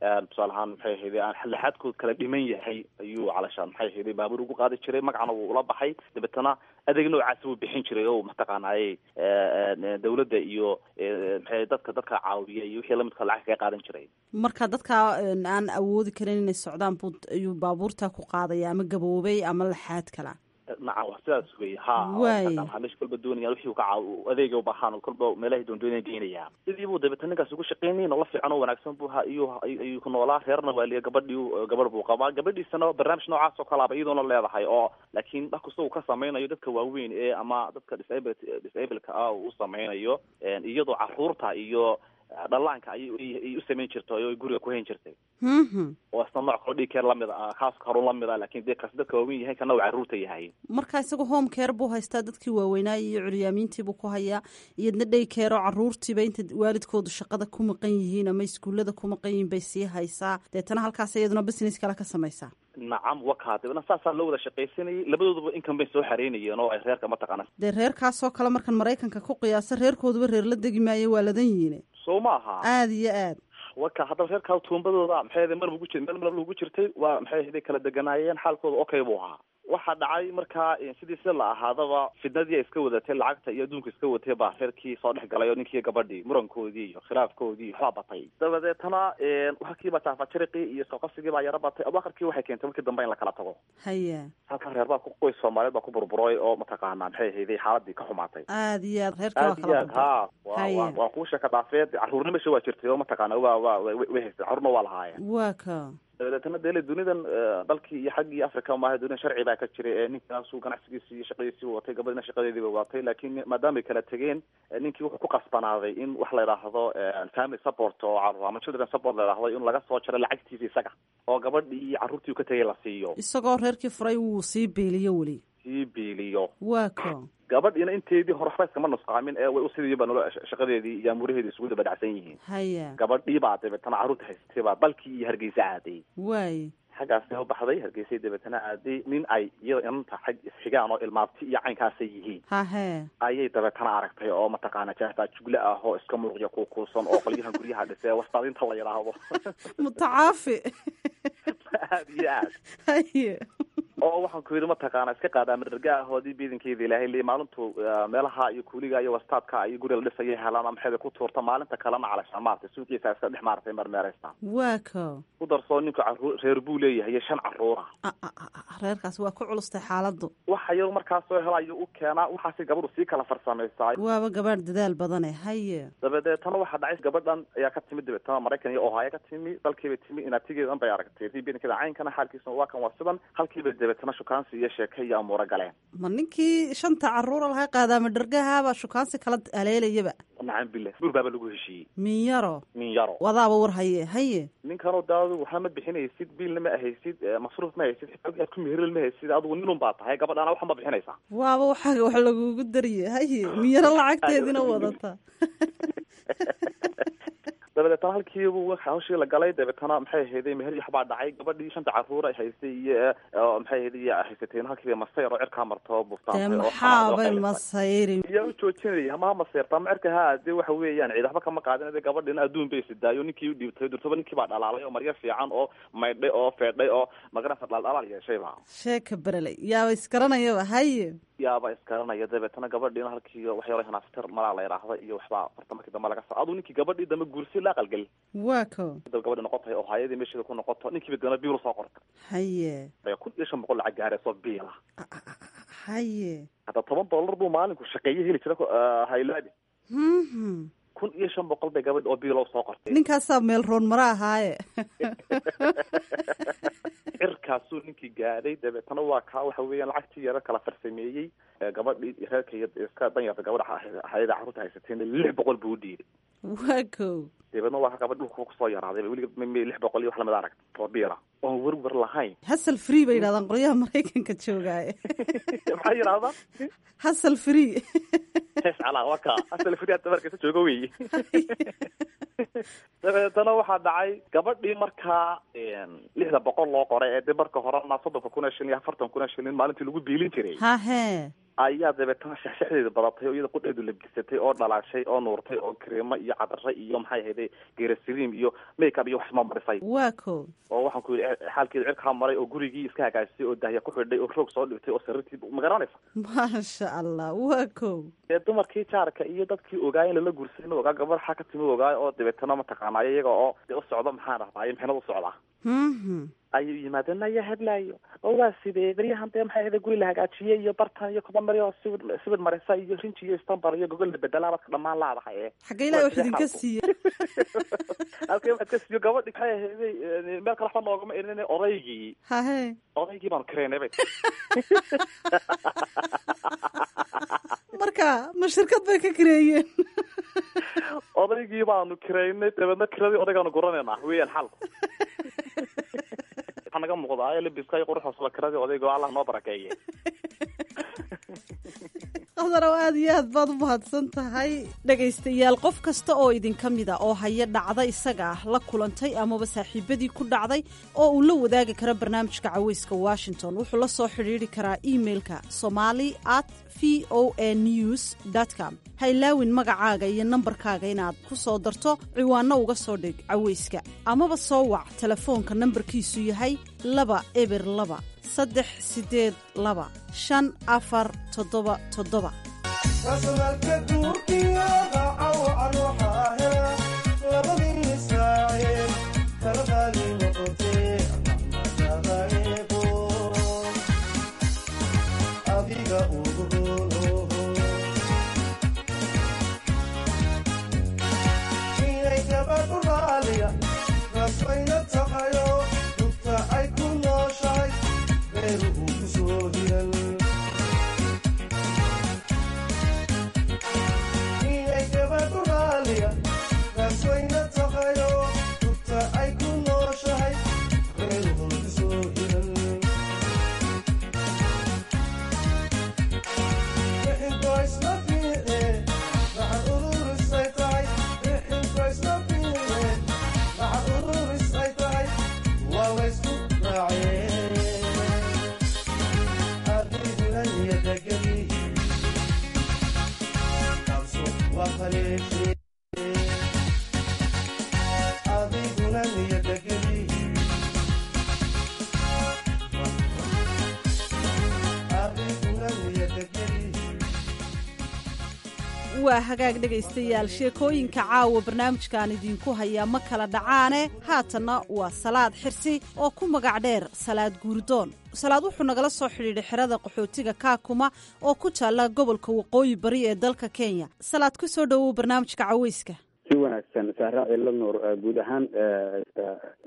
tusaale ahaan maxay ahayday aan laxaadkood kala dhiman yahay ayuu calashaan maxay ahayday baabuur ugu qaadi jiray, magacna wuu ula baxay. Dabeetana adeeg noocaasi wuu bixin jiray oo mataqaanaaye dawladda iyo maxay dadka caawiya iyo wixii lamidka lacag kaga qaadan jiray. Marka dadka aan awoodi karin inay socdaan buu ayuu baabuurta ku qaadaya, ama gaboobay ama laxaad kala. Nacam, wax sidaas wey, ha. Meesha kolba doonaya wixii ka caaw adeega u baahan kolba meelahay doondoonaya geynaya. Sidii buu dabeetana ninkaas ugu shaqeynayay. Nolol fiican oo wanaagsan buu ha iyo ayuu ku noolaa. Reerna waa liya, gabadhii gabadh buu qabaa, gabadhiisana barnaamij noocaas oo kalaaba iyadoona leedahay oo laakiin wax kasta uu ka sameynayo dadka waaweyn ee ama dadka disableka ah uu sameynayo, iyadoo caruurta iyo dhallaanka ayay u samayn jirtay oo guriga ku hayn jirtay, oo isna nooc kaloo daycare lamid ah, kaas harun lamid ah, laakiin dee kaas dadka waaweyn yahay, kana uu carruurta yahay. Marka isaga home care buu haystaa, dadkii waaweynaa iyo curyaamiintii buu ku hayaa, iyadna day care oo caruurtiiba inta waalidkoodu shaqada ku maqan yihiin ama iskuullada ku maqan yihiin bay sii haysaa. Deetana halkaas iyaduna business kale ka samaysaa. Nacam, wakaa. Dabna saasaa loo wada shaqaysanayay, labadooduba inkan bay soo xareynayeen oo ay reerka mataqaana. Dee reerkaasoo kale markan Maraykanka ku qiyaasa, reerkooduba reer la degi maayo, waa ladan yihiin. Soo ma aha? Aada iyo aad. Waka haddaba reerkaa tuumbadooda maxay ahayd meel ugu jir meel meel ugu jirtay, waa maxay ahayd kala deganaayeen, xaalkooda okay buu ahaa. Waxaa dhacay markaa sidii si la ahaadaba fidnadii ay iska wadatay, lacagta iyo adduunka iska watay baa reerkii soo dhex galay oo ninkii gabadhii murankoodii iyo khilaafkoodii waxbaa batay. Dabadeetana halkiibaa taafajariqii iyo isqabqabsigii baa yaro batay. Abakarkii waxay keentay markii dambe in la kala tago. Halkan reer baa ku qoys Soomaaliyeed baa ku burburay oo mataqaanaa maxay ahayday xaaladii ka xumaatay. Aada iyo aad, reerka waa Aad iyo kala aad burburay. Ha wa waa kuwa sheeka dhaafeed. Carruurna meesha waa jirtay oo mataqaana waa way haystay, carruurna waa lahaayeen. Waa ka. Dabadeetana dele dunidan dalkii iyo xaggii Africa maaha, dunidan sharci baa ka jiray ee ninkaasu ganacsigiisii iyo shaqadiisii watay, gabadhina shaqadeediiba watay, laakiin maadaamay kala tegeen, ninkii wuxuu ku qasbanaaday in wax la yidhaahdo family support oo carruur ama children support la yidhaahdo in laga soo jaro lacagtiisa isaga oo gabadhii iyo carruurtii uu ka tegay la siiyo. Isagoo reerkii furay wuu sii biiliyo weli. Sii biiliyo. Waa ka. Gabadhiina inteedii hore waxba iskama nusqaamin ee way usidiiba nolo shaqadeedii iyo amuuraheedii isugu daba dhacsan yihiin. Gabadhii baa dabeetana carruurta haysatay baa dalkii iyo Hargeysa aaday. Xaggaasay u baxday, Hargeysay dabeetana aaday. Nin ay iyada inanta xag isxigaan oo ilmaabti iyo caynkaasay yihiin ayay dabeetana aragtay oo mataqaana jaafaa jugle ah oo iska muruqya kuukuusan oo qolyahan guryaha dhisee wastaadinta la yidhaahdo. Mutacaafi. Aad iyo aad. Oo waxaan ku yidhi mataqaana iska qaadaa madarga ahoodii biidankeeda Ilaahay le maalintu meelaha iyo kuuliga iyo wastaadka iyo guriga la dhisaya helaan ama maxeeda ku tuurta, maalinta kalena calashaan maaragtay suuqiisa iska dhex maaragtay marmeeraysa. Waa ka. Ku darsoo ninku caruur reer buu leeyahay iyo shan carruura. Reerkaas waa ku culustay xaaladdu. Waxa iyadu markaas soo helayo u keenaa, waxaasi gabadhu sii kala farsamaysaa. Waaba gabadh dadaal badane, haye. Dabadeetana waxaa dhacay gabadhan ayaa ka timid dabeetana Maraykan iyo Ohio ka timi, dalkiibay timi, inaatigeedan bay aragtay biidankeeda caynkana xaalkiisuna waa kan, waa sidan halkiiba. Dabeetana shukaansi iyo sheeke iyo amuuro galeen. Ma ninkii shanta caruura lahaa qaadaama dhargahaabaa shukaansi kala aleelayaba? Nacam billah, guur baaba lagu heshiiyey. Minyaro. Minyaro. Wadaaba war haye haye. Ninkanoo de adigu waxna ma bixinaysid, biilna ma ahaysid, masruuf ma haysid, xitaa aad ku meherel ma haysid, adigu ninun baa tahay, gabadhaana waxa ma bixinaysaa. Waaba waxaaga wax lagugu dariye haye, minyaro lacagteedina wadata. Dabadeetana halkiibu hawshii la galay. Dabeetana maxay ahayday, meher iyo waxbaa dhacay. Gabadhii shanta caruur ay haystay iyo maxay ahayday iyo haysateen halkiiba masayr oo cirkaa marto dee buuftaantay oo maxaabay masayri? Yaa u joojinaya maha maseyrta ama cirka ha dee waxa weeyaan ciid waxba kama qaadin. De gabadhina adduun bay sidaayo, ninkii u dhiibtay durtaba ninkii baa dhalaalay oo maryo fiican oo maydhay oo feedhay oo magaranaysa dhaldhalaal yeeshayba. Sheeka bereley, yaaba isgaranayaba haye. Yaaba iskaranaya. Dabeetana gabadhiina halkii wax yaro hanaaftar malaa la yidhaahda iyo waxbaa farta markii dambe laga sa aduu ninkii gabadhii dambe guursi la aqalgelin. Waa ko. Dab gabadhi noqotay oo hayadii meesheeda ku noqoto, ninkiiba dana biil soo qorta. Haye. 1500 lacag gaarayso biila. Haye. Hadda $10 buu maalinku shaqeeye heli jira haylaabi. 1500 bay gabadhi oo biilow soo qortay. Ninkaasaa meel roon mara ahaaye. Cirkaasuu ninkii gaadhay. Dabeetana waa kaa waxa weeyaan lacagtii yaro kala farsameeyey. Gabadhii reerka iyo iska danyarta gabadha hayada carruurta haysatayna 600 buu u dhiibay. Waa ko. Dabeedna waa ka gabadh dhulka kusoo yaraaday weliga 600 iyo wax lamid arag oo biila oon werwer lahayn. Hasal free bay yidhahdaan qolyaha Maraykanka joogaaye. Maxay yidhahdaan? Hasal free. Hees calaa waa kaa asal free hadda markaysa joogo weeye. Dabeetana waxaa dhacay gabadhii markaa 600 loo qoray ee de marka horena 30,000 oo shilin iyo 40,000 oo shilin maalintii lagu biilin jiray hahe ayaa dabeetana shexshexdeeda badatay oo iyada qudheedu labisatay oo dhalaashay oo nuurtay oo kareemo iyo cadare iyo maxay ahayday geerasiriim iyo makeup iyo wax ma marisay. Waa ko. Oo waxaan ku yidhi xaalkeedu cirkaa maray oo gurigii iska hagaajisay oo dahya ku xidhay oo roog soo dhigtay oo sariirtii ma garanaysa. Maasha Allah, waa ko. Dee dumarkii jaarka iyo dadkii ogaay in lala guursaday ma ogaa gabadh xaa ka timi ogaay oo dabeetana mataqaanaayo iyaga oo dee u socdo maxaan dhahdaayo mixnad u socdaa ayuu yimaadeen ayaa heblaayo oo waa sidee beryahan dee maxay ahayday guri la hagaajiyey iyo bartan iyo koba mari oo sibir sibir marisa iyo rinji iyo istambar iyo gogol la bedelaa baad dhammaan laadahay ee xagga ilahi wax idinka siiye. Halkee waxaad ka siiyo gabadhi maxay ahayday meel kale waxba noogama irin odaygii. Hahe. Odaygii baanu kireynay bay. Marka ma shirkad bay ka kireeyeen? Odaygii baanu kireynay, dabeedna kiradii odaygaanu guranaynaa weeyaan xalku. Waxaa naga muuqdaa labiska iyo quruxoosaba kiradii odayga oo Allah noo barakeeye. Qadarow, aad iyo aad baad u mahadsan tahay. Dhegaystayaal, qof kasta oo idinka mida oo haya dhacda isaga ah la kulantay amaba saaxiibadii ku dhacday oo uu la wadaagi karo barnaamijka Caweyska Washington, wuxuu la soo xidhiidri karaa emailka somali at v o a news com. Ha ilaawin magacaaga iyo nambarkaaga inaad ku soo darto ciwaanno uga soo dhig caweyska, amaba soo wac telefoonka nambarkiisu yahay 202 382 5477. Waa hagaag dhegaystayaal, sheekooyinka caawa barnaamijkan idinku hayaa ma kala dhacaane. Haatanna waa Salaad Xirsi oo ku magac dheer Salaad Guurdoon. Salaad wuxuu nagala soo xidhiidhay xerada qaxootiga Kaakuma oo ku taalla gobolka Waqooyi Bari ee dalka Kenya. Salaad, ku soo dhowow barnaamijka caweyska. Si wanaagsan Sahra Ciila Nuur, guud ahaan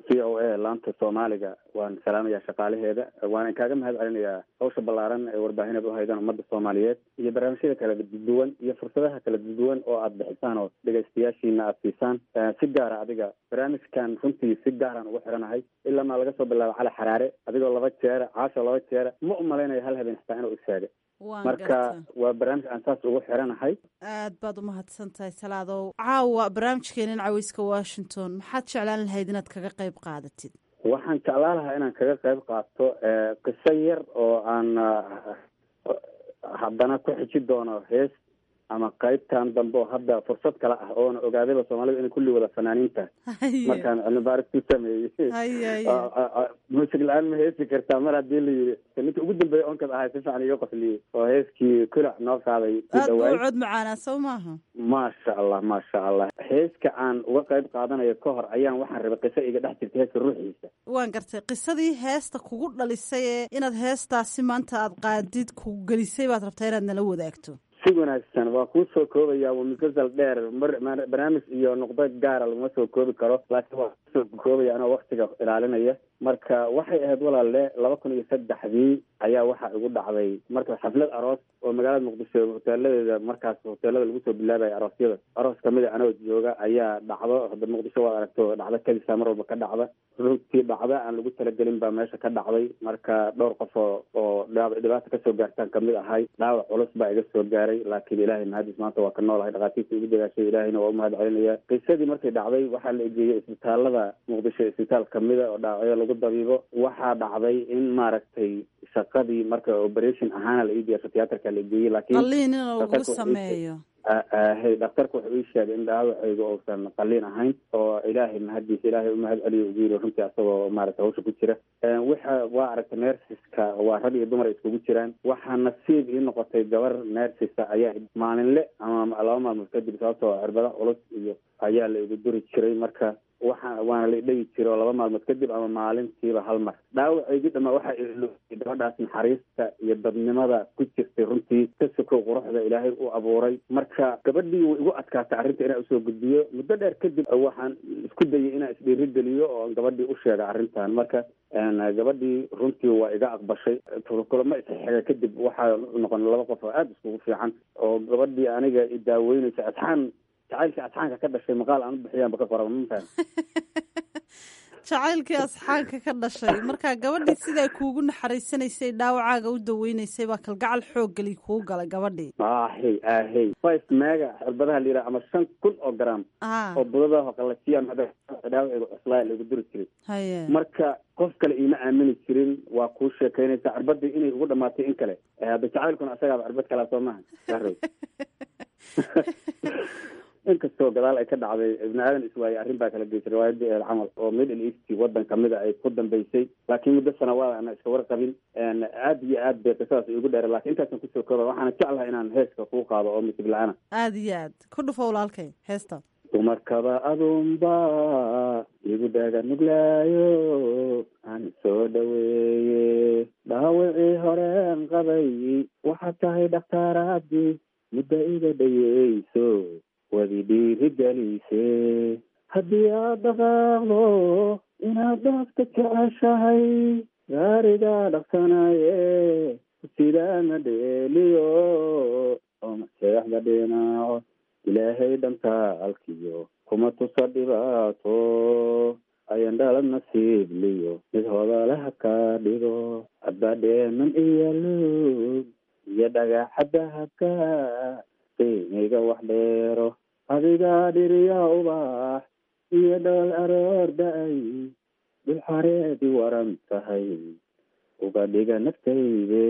v o a laanta Soomaaliga waan salaamayaa shaqaalaheeda, waana kaaga mahad celinayaa hawsha ballaaran ee warbaahinad u haydaan ummadda Soomaaliyeed iyo barnaamijyada kala duwan iyo fursadaha kala duwan oo aad bixisaan oo dhegaystayaashiina aad siisaan. Si gaara adiga barnaamijkan runtii si gaaraan ugu xiranahay, ilaa maa laga soo bilaabo Cali Xaraare, adigoo laba jeera, Caasho laba jeera, ma umalaynayo hal habeen xitaa inuu isheegay. Marka waa barnaamij aan saas ugu xiranahay. Aad baad umahadsan tahay Salaadow. Caawa barnaamijkeenan Caweyska Washington maxaad jeclaan lahayd inaad kaga qayb qaadatid? Waxaan jeclaan lahaa inaan kaga qayb qaato qiso yar oo aan haddana ku xiji doono hees ama qaybtan dambe oo hadda fursad kale ah oona ogaadayba Soomaalida inay kulli wada fanaaniinta markaan cilmi baaris ku sameeyey. Muusig la-aan ma heesi kartaa mar haddii la yiri, ninka ugu dambeeya onkad ahay si fiican iga qosliyey oo heeskii kulac noo qaaday ku Aad buu dhawaay. Cod macaanaa soo maaha? Maasha Allah, maasha Allah. Heeska aan uga qayb qaadanayo ka hor ayaan waxaan rabay qiso iga dhex jirta heeska ruuxiisa. Waan gartay. Qisadii heesta kugu dhalisay ee inaad heestaasi maanta aad qaadid ku gelisay baad rabtaa inaad nala wadaagto. Si wanaagsan, waa kuu soo koobaya. Waa musalsal dheer, mar barnaamij iyo nuqdo gaara laguma soo koobi karo, laakiin waa kusoo koobaya anoo waktiga ilaalinaya. Marka waxay ahayd walaalle, 2003-dii ayaa waxaa igu dhacday marka xaflad aroos oo magaalada Muqdisho hoteeladeeda, markaas hoteelada lagu soo bilaabaya aroosyada, aroos kamid a anoo jooga ayaa dhacdo. Hadda Muqdisho waad aragto, dhacdo kadisa mar walba ka dhacda. Runtii dhacda aan lagu talagelin baa meesha ka dhacday. Marka dhowr qof oo dhibaata kasoo gaartaan kamid ahay, dhaawac culus baa iga soo gaaray, laakiin Ilaahay mahadis maanta waa ka noolahay. Dhakhaatiirta igu dadaashay Ilaahayna waa umahad celinaya. Qisadii markay dhacday waxaa la egeeyey isbitaalada Muqdisho, isbitaal kamida oo dhaawacyo lagu dabiibo. Waxaa dhacday in maaragtay shaqadii marka operation ahaana la ii diyaarsho, tiyaatarka la egeeyey, laakiin Qalliin in lagu dhakhtarku wuxuu ii sameeyo. Hay, dhakhtarku wuxuu ii sheegay in dhaawacaygu uusan qalliin ahayn oo Ilaahay mahadiisa, Ilaahay umahad celiyo ugu yiri runtii asagoo maaragtay hawsha ku jira. Waxa waa aragtay nurseska waa rag iyo dumar ay iskugu jiraan. Waxaa nasiib ii noqotay gabar nursesa ayaa maalinle ama 2 maalmood kadib, sababtoo cirbada culus iyo ayaa la igu duri jiray, marka waxa waana la idhegi jiray oo 2 maalmood kadib ama maalintiiba hal mar. Dhaawacaygii dhamaa waxaa ilowday gabadhaas naxariista iyo dadnimada ku jirtay runtii, ka sokow quruxda Ilaahay u abuuray. Marka gabadhii way igu adkaatay arrinta inaan usoo gudbiyo. Muddo dheer kadib waxaan isku dayay inaan isdhiirigeliyo oo aan gabadhii u sheega arrintan. Marka gabadhii runtii waa iga aqbashay. Kulamo isxiga kadib waxaa noqon laba qof oo aada iskugu fiican oo gabadhii aniga i daaweynaysa asxaan, jacaylkii asxaanka ka dhashay maqaal aan u bixiyaanba ka qora, ma fahan? Jacaylkii asxaanka ka dhashay. Marka gabadhii sidaa kuugu naxariisanaysay, dhaawacaaga u daweynaysay, baa kalgacal xooggali kuu galay gabadhii. Ahey ahey, 5 mega cirbadaha la yidhaha ama 5000 oo gram oo budadaha qalajiya dhaawaciga cuslaaya laigu duri jiray. Marka qof kale iima aamini jirin, waa kuu sheekaynaysaa cirbadii inay ugu dhamaatay in kale. Hadda jacaylkuna asagaaba cirbad kalaa soo maaha Sahrow? Inkastoo gadaal ay ka dhacday ibni aadan iswaayey, arrin baa kala geysay riwaayadii eel camal oo Middle East wadan kamida ay ku dambeysay, laakiin muddo sanawaad ana iska warqabin. Aad iyo aad bay qisadaas iigu dheera, laakiin intaasan kusoo kooba. Waxaana jeclahay inaan heeska kuu qaado oo musig la-aana. Aada iyo aad ku dhufo walaalkay heesta. Dumarkaba adunba igu dhaga nuglaayo aan soo dhaweeye, dhaawacii horeen qabay waxaad tahay dhakhtaaraadii muddo iga dhayeyso, wadi dhiirigelise. Haddii aad dhaqaaqdo inaad dhaafta jeceshahay, gaarigaa dhaqsanaye sidaana dheeliyo oo maseexda dhinaco. Ilaahay dhantaalkiyo kuma tusa dhibaato, ayan dhalad nasiibliyo mid hodalaha ka dhigo. Abadheeman iyo luug iyo dhagaxa dahabka qiimiga wax dheero, adigaa dhiriya ubax iyo dhool aroor da-ay, dhul xareedi waran tahay uga dhiga naftayde.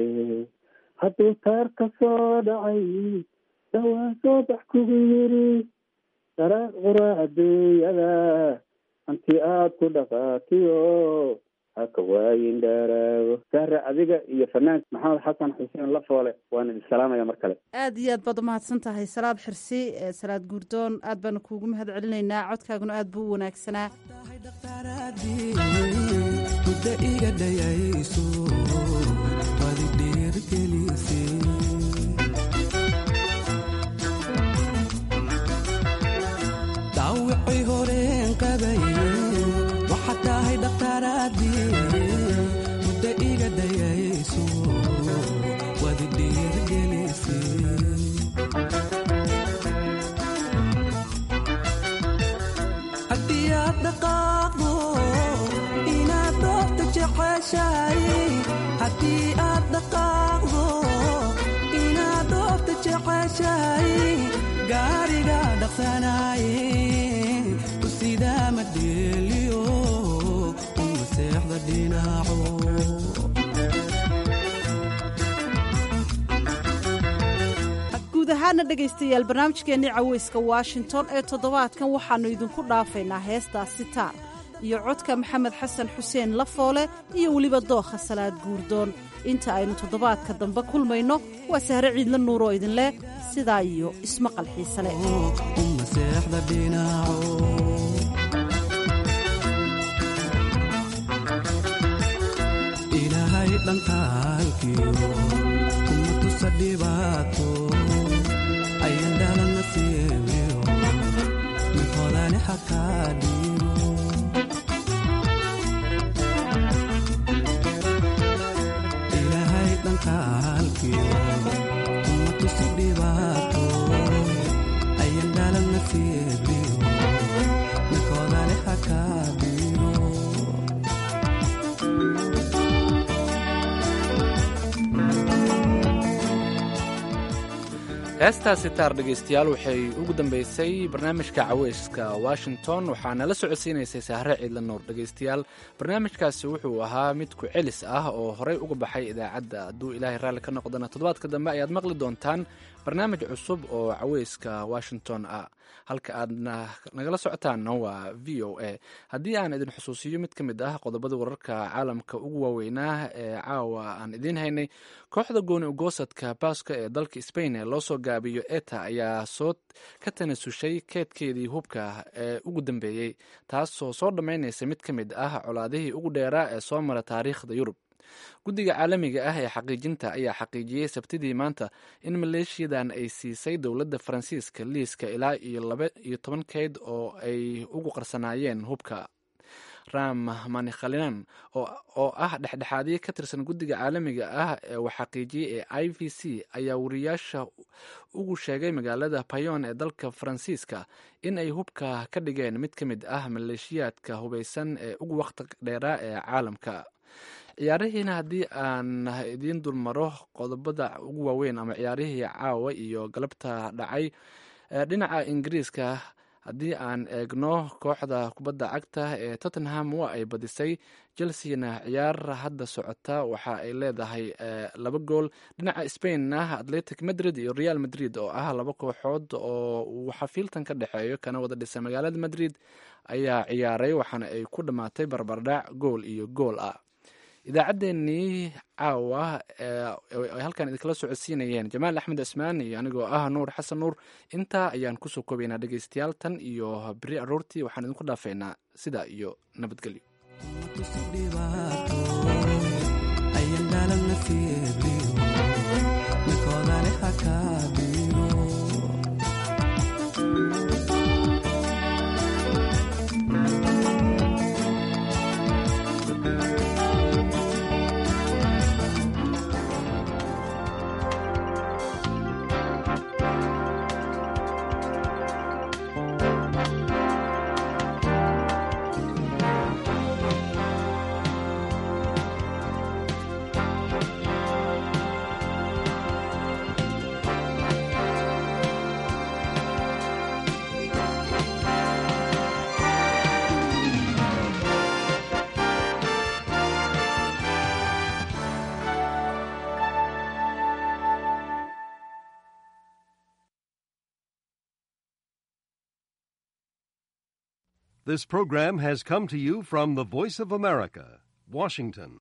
Hadduu taar ka soo dhacay dhawaan soo bax kugu yiri, daraaq qura adduunyada hanti aad ku dhaqaaqiyo haka waayin dheeraago. Sahra, adiga iyo fanaanka Maxamed Xasan Xuseen Lafoole waan idin salaamaya mar kale. Aad iyo aad baad umahadsan tahay Salaad Xirsi, Salaad Guurdoon. Aad baanu kuugu mahad celinaynaa, codkaaguna aad buu u wanaagsanaa. Muddo iga dhayayso waad i dhiirigelisay. Jeceshahay haddii aad dhaqaaqdo, inaad dhoofta jeceshahay, gaariga dhaqsanaaye ku sidaa ma dheeliyo, uma seexda dhinaco. Guud ahaana dhegaystayaal, barnaamijkeennii caweyska Washington ee toddobaadkan waxaannu idinku dhaafaynaa heestaa Sitaar iyo codka Maxamed Xasan Xuseen Lafoole iyo weliba Dookha Salaad Guurdoon. Inta aynu toddobaadka dambe kulmayno, waa Sahre Ciidla Nuur oo idinleh sidaa iyo ismaqal xiise leh. Uma seexda dhinaco. Ilaahay dhankaalkiyo kuma tusa dhibaato, ayan dhalan nasiibiyo mid hodane hakaa dhiibo. Ilaahay dhankaalkiyo kuma tusi dhibaato, ayan dhalan nasiibiyo mid hodane hakaa dhiibo. Heestaasi taar, dhegaystayaal, waxay ugu dambeysay barnaamijka caweyska Washington. Waxaana la socodsiinaysay Sahre Ciidla Nuur. Dhegaystayaal, barnaamijkaasi wuxuu ahaa mid ku celis ah oo horey uga baxay idaacadda. Hadduu Ilaahay raalli ka noqdana, toddobaadka dambe ayaad maqli doontaan barnaamij cusub oo caweyska Washington ah. Halka aadna nagala socotaanna waa VOA. Haddii aan idin xusuusiyo mid ka mid ah qodobada wararka caalamka ugu waaweynaa ee caawa aan idiin haynay: kooxda gooni ugoosadka Baaska ee dalka Spain ee loosoo gaabiyo ETA ayaa soo ka tanasushay keedkeedii hubka ee ugu dambeeyey, taasoo soo dhammaynaysa mid ka mid ah colaadihii ugu dheeraa ee soo mara taariikhda Yurub. Guddiga caalamiga ah ee xaqiijinta ayaa xaqiijiyey Sabtidii maanta in maleeshiyadan ay siisay dowladda Faransiiska liiska ilaa iyo 12 keyd oo ay ugu qarsanaayeen hubka. Ram Manikhalinan oo ah dhexdhexaadiye ka tirsan guddiga caalamiga ah ee uu xaqiijiyey ee IVC ayaa wariyaasha ugu sheegay magaalada Payon ee dalka Faransiiska in ay hubka ka dhigeen mid ka mid ah maleeshiyaadka hubeysan ee ugu waqti dheeraa ee caalamka. Ciyaarihiina haddii aan idiin dulmaro qodobada ugu waaweyn ama ciyaarihii caawa iyo galabta dhacay, dhinaca Ingiriiska haddii aan eegno, kooxda kubadda cagta ee Tottenham waa ay badisay. Chelseana ciyaar hadda socota waxa ay leedahay 2 gool. Dhinaca Spainna, Atletic Madrid iyo Real Madrid oo ah laba kooxood oo uu xafiiltan ka dhexeeyo kana wada dhisa magaalada Madrid ayaa ciyaaray, waxaana ay ku dhammaatay barbardhac gool iyo gool ah. Idaacaddeenii caawa ay halkan idinkala socodsiinayeen Jamaal Axmed Cismaan iyo anigoo ah Nuur Xasan Nuur intaa ayaan kusoo koobaynaa. Dhegaystayaal, tan iyo beri aroortii waxaan idinku dhaafeynaa sidaa iyo nabadgelyo. Ayan dhalan nasiibiyo midkoodale hakaa dhiibo. This program has come to you from the Voice of America, Washington.